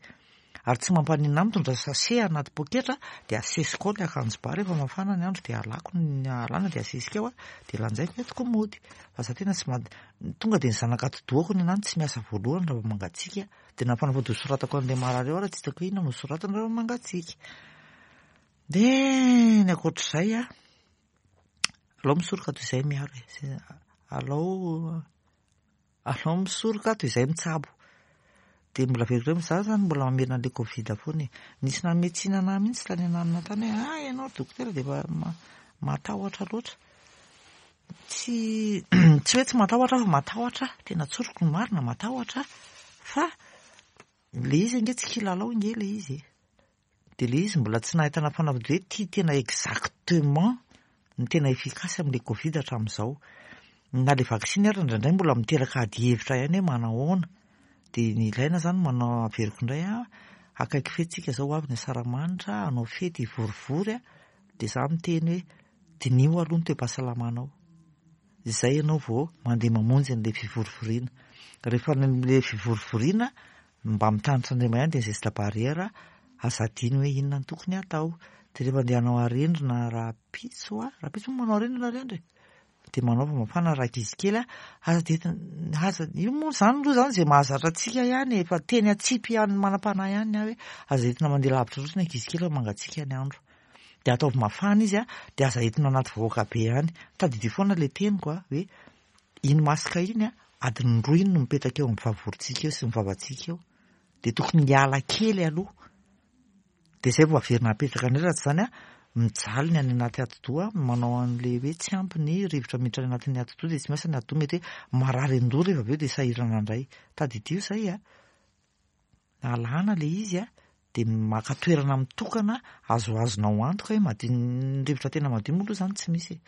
Ary tsy mampaninona ahy mitondra sachet anaty poketra dia asesiko ao ny akanjo ba rehefa mafana ny andro dia alako ny alana dia asesika ao a, dia lanjaiko entiko mody. Fa za tena tsy ma tonga dia ny zanak'atidohako ny anahy tsy miasa voalohany raha vao mangatsiaka. Dia na fanafody hosoratako an'ilay marary eo ary tsy hitako hoe inona no hosoratana raha vao mangatsiaka. Dia ny ankoatr'izay a, alao misoroka toy izay miaro e. Alao alao misoroka toy izay mitsabo. Dia mbola averiko indray, za zany mbola mamerina an'ilay Covid foana e. Nisy nanome tsiny anahy mihitsy tany ananona tany hoe ah ianao dokotera dia efa matahotra loatra. Tsy tsy hoe tsy matahotra aho fa matahotra, tena tsoriko ny marina, matahotra fa le izy ange tsy kilalao ange le izy e. Dia le izy mbola tsy nahitana fanafody hoe ty tena exactement ny tena efficace amin'ilay Covid hatramin'izao. Na le vaksiny ary indraindray mbola miteraka ady hevitra ihany hoe manahoana. Dia ny ilaina zany manao, averiko indray a, akaiky fety tsika zao, ho avy ny asaramanitra, hanao fety hivorivory a, dia za miteny hoe diniho aloha ny toe-pahasalamanao. Izay ianao vao mandeha mamonjy an'ilay fivorivoriana. Rehefa le fivorivoriana mba mitandrina ihany dia geste barrière, aza adino hoe inona no tokony hatao. Dia rehefa andeha hanao arendrina rahampitso a, rahampitso moa manao arendrina ry Andry? Dia manaova mafana raha ankizy kely a, aza dia aza io moa zany aloha zany izay mahazatra antsika ihany e, fa teny atsipy ihany manam-panahy ihany aho hoe aza entina mandeha lavitra loatra ny ankizy kely fa mangatsiaka ny andro. Dia ataovy mafana izy a, dia aza entina anaty vahoaka be ihany. Tadidio foana ilay teniko a, hoe iny masque iny a, adiny roa iny no mipetraka eo amin'ny vavorontsika eo sy ny vavantsika eo. Dia tokony hiala kely aloha. Dia izay vao averina apetraka indray, raha tsy izany a, mijaly ny any anaty atidoha, manao an'ilay hoe tsy ampy ny rivotra miditra any anatin'ny atidoha dia tsy miasa ny atidoha, mety hoe marary an-doha rehefa avy eo dia sahirana indray. Tadidio izay a, alana ilay izy a, dia maka toerana mitokana azoazonao antoka hoe madio ny rivotra, tena madio moa aloha izany tsy misy e.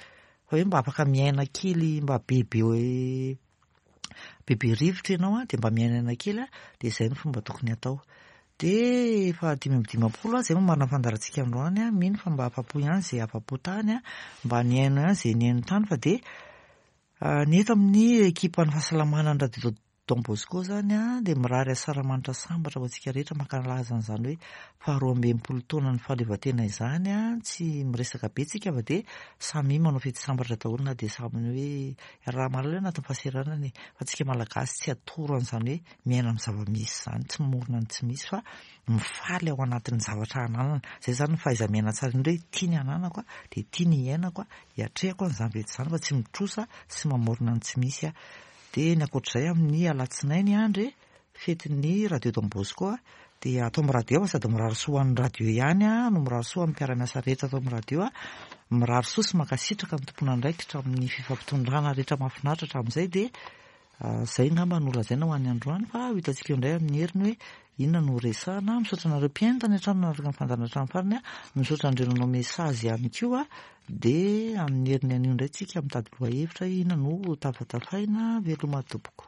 Fa hoe mba afaka miaina kely mba bebe bebe rivotra ianao a, dia mba miainaina kely a, dia izay no fomba tokony hatao. Dia efa dimy amby dimampolo a, izay moa marina fandaharantsika androany a, mino fa mba afa-po ihany izay afa-po tany a, mba nihaino ihany izay nihaino tany, fa dia ny eto amin'ny ekipan'ny fahasalamana ny radio Don Bosco zany a, dia mirary asaramanitra sambatra ho antsika rehetra mankalaza an'izany hoe faharoa amby enimpolo taona ny fahaleovantena izany a. Tsy miresaka be tsika fa dia samy manao fety sambatra daholo, na dia samy hoe raha mahalala anatin'ny fahasahiranana e, fa tsika malagasy tsy atoro an'izany hoe miaina amin'ny zava-misy izany, tsy mamorona ny tsy misy fa mifaly ao anatin'ny zavatra ananana. Izay zany ny fahaiza-miaina tsara indrindra, hoe tia ny ananako a, dia tia ny iainako a, hiatrehako an'izany fety izany fa tsy mitrosa sy mamorona ny tsy misy a. Dia ny ankoatr'izay, amin'ny alatsinainy andry fetin'ny radio Don Bosco a, dia atao amin'ny radio fa sady mirary soa ho an'ny radio ihany a no mirary soa amin'ny mpiara-miasa rehetra atao amin'ny radio a, mirary soa sy mankasitraka ny tompon'andraikitra amin'ny fifampitondrana rehetra mahafinaritra hatramin'izay. Dia izay angamba no lazaina ho an'ny androany, fa ho hitantsika eo indray amin'ny heriny hoe inona no resahana. Misaotra anareo mpihaino tany an-trano nanaraka ny fandaharana hatramin'ny farany a, misaotra an'ireo nanao message ihany koa. Dia amin'ny heriny anio indray tsika mitady lohahevitra inona no tafatafaina. Veloma tompoko.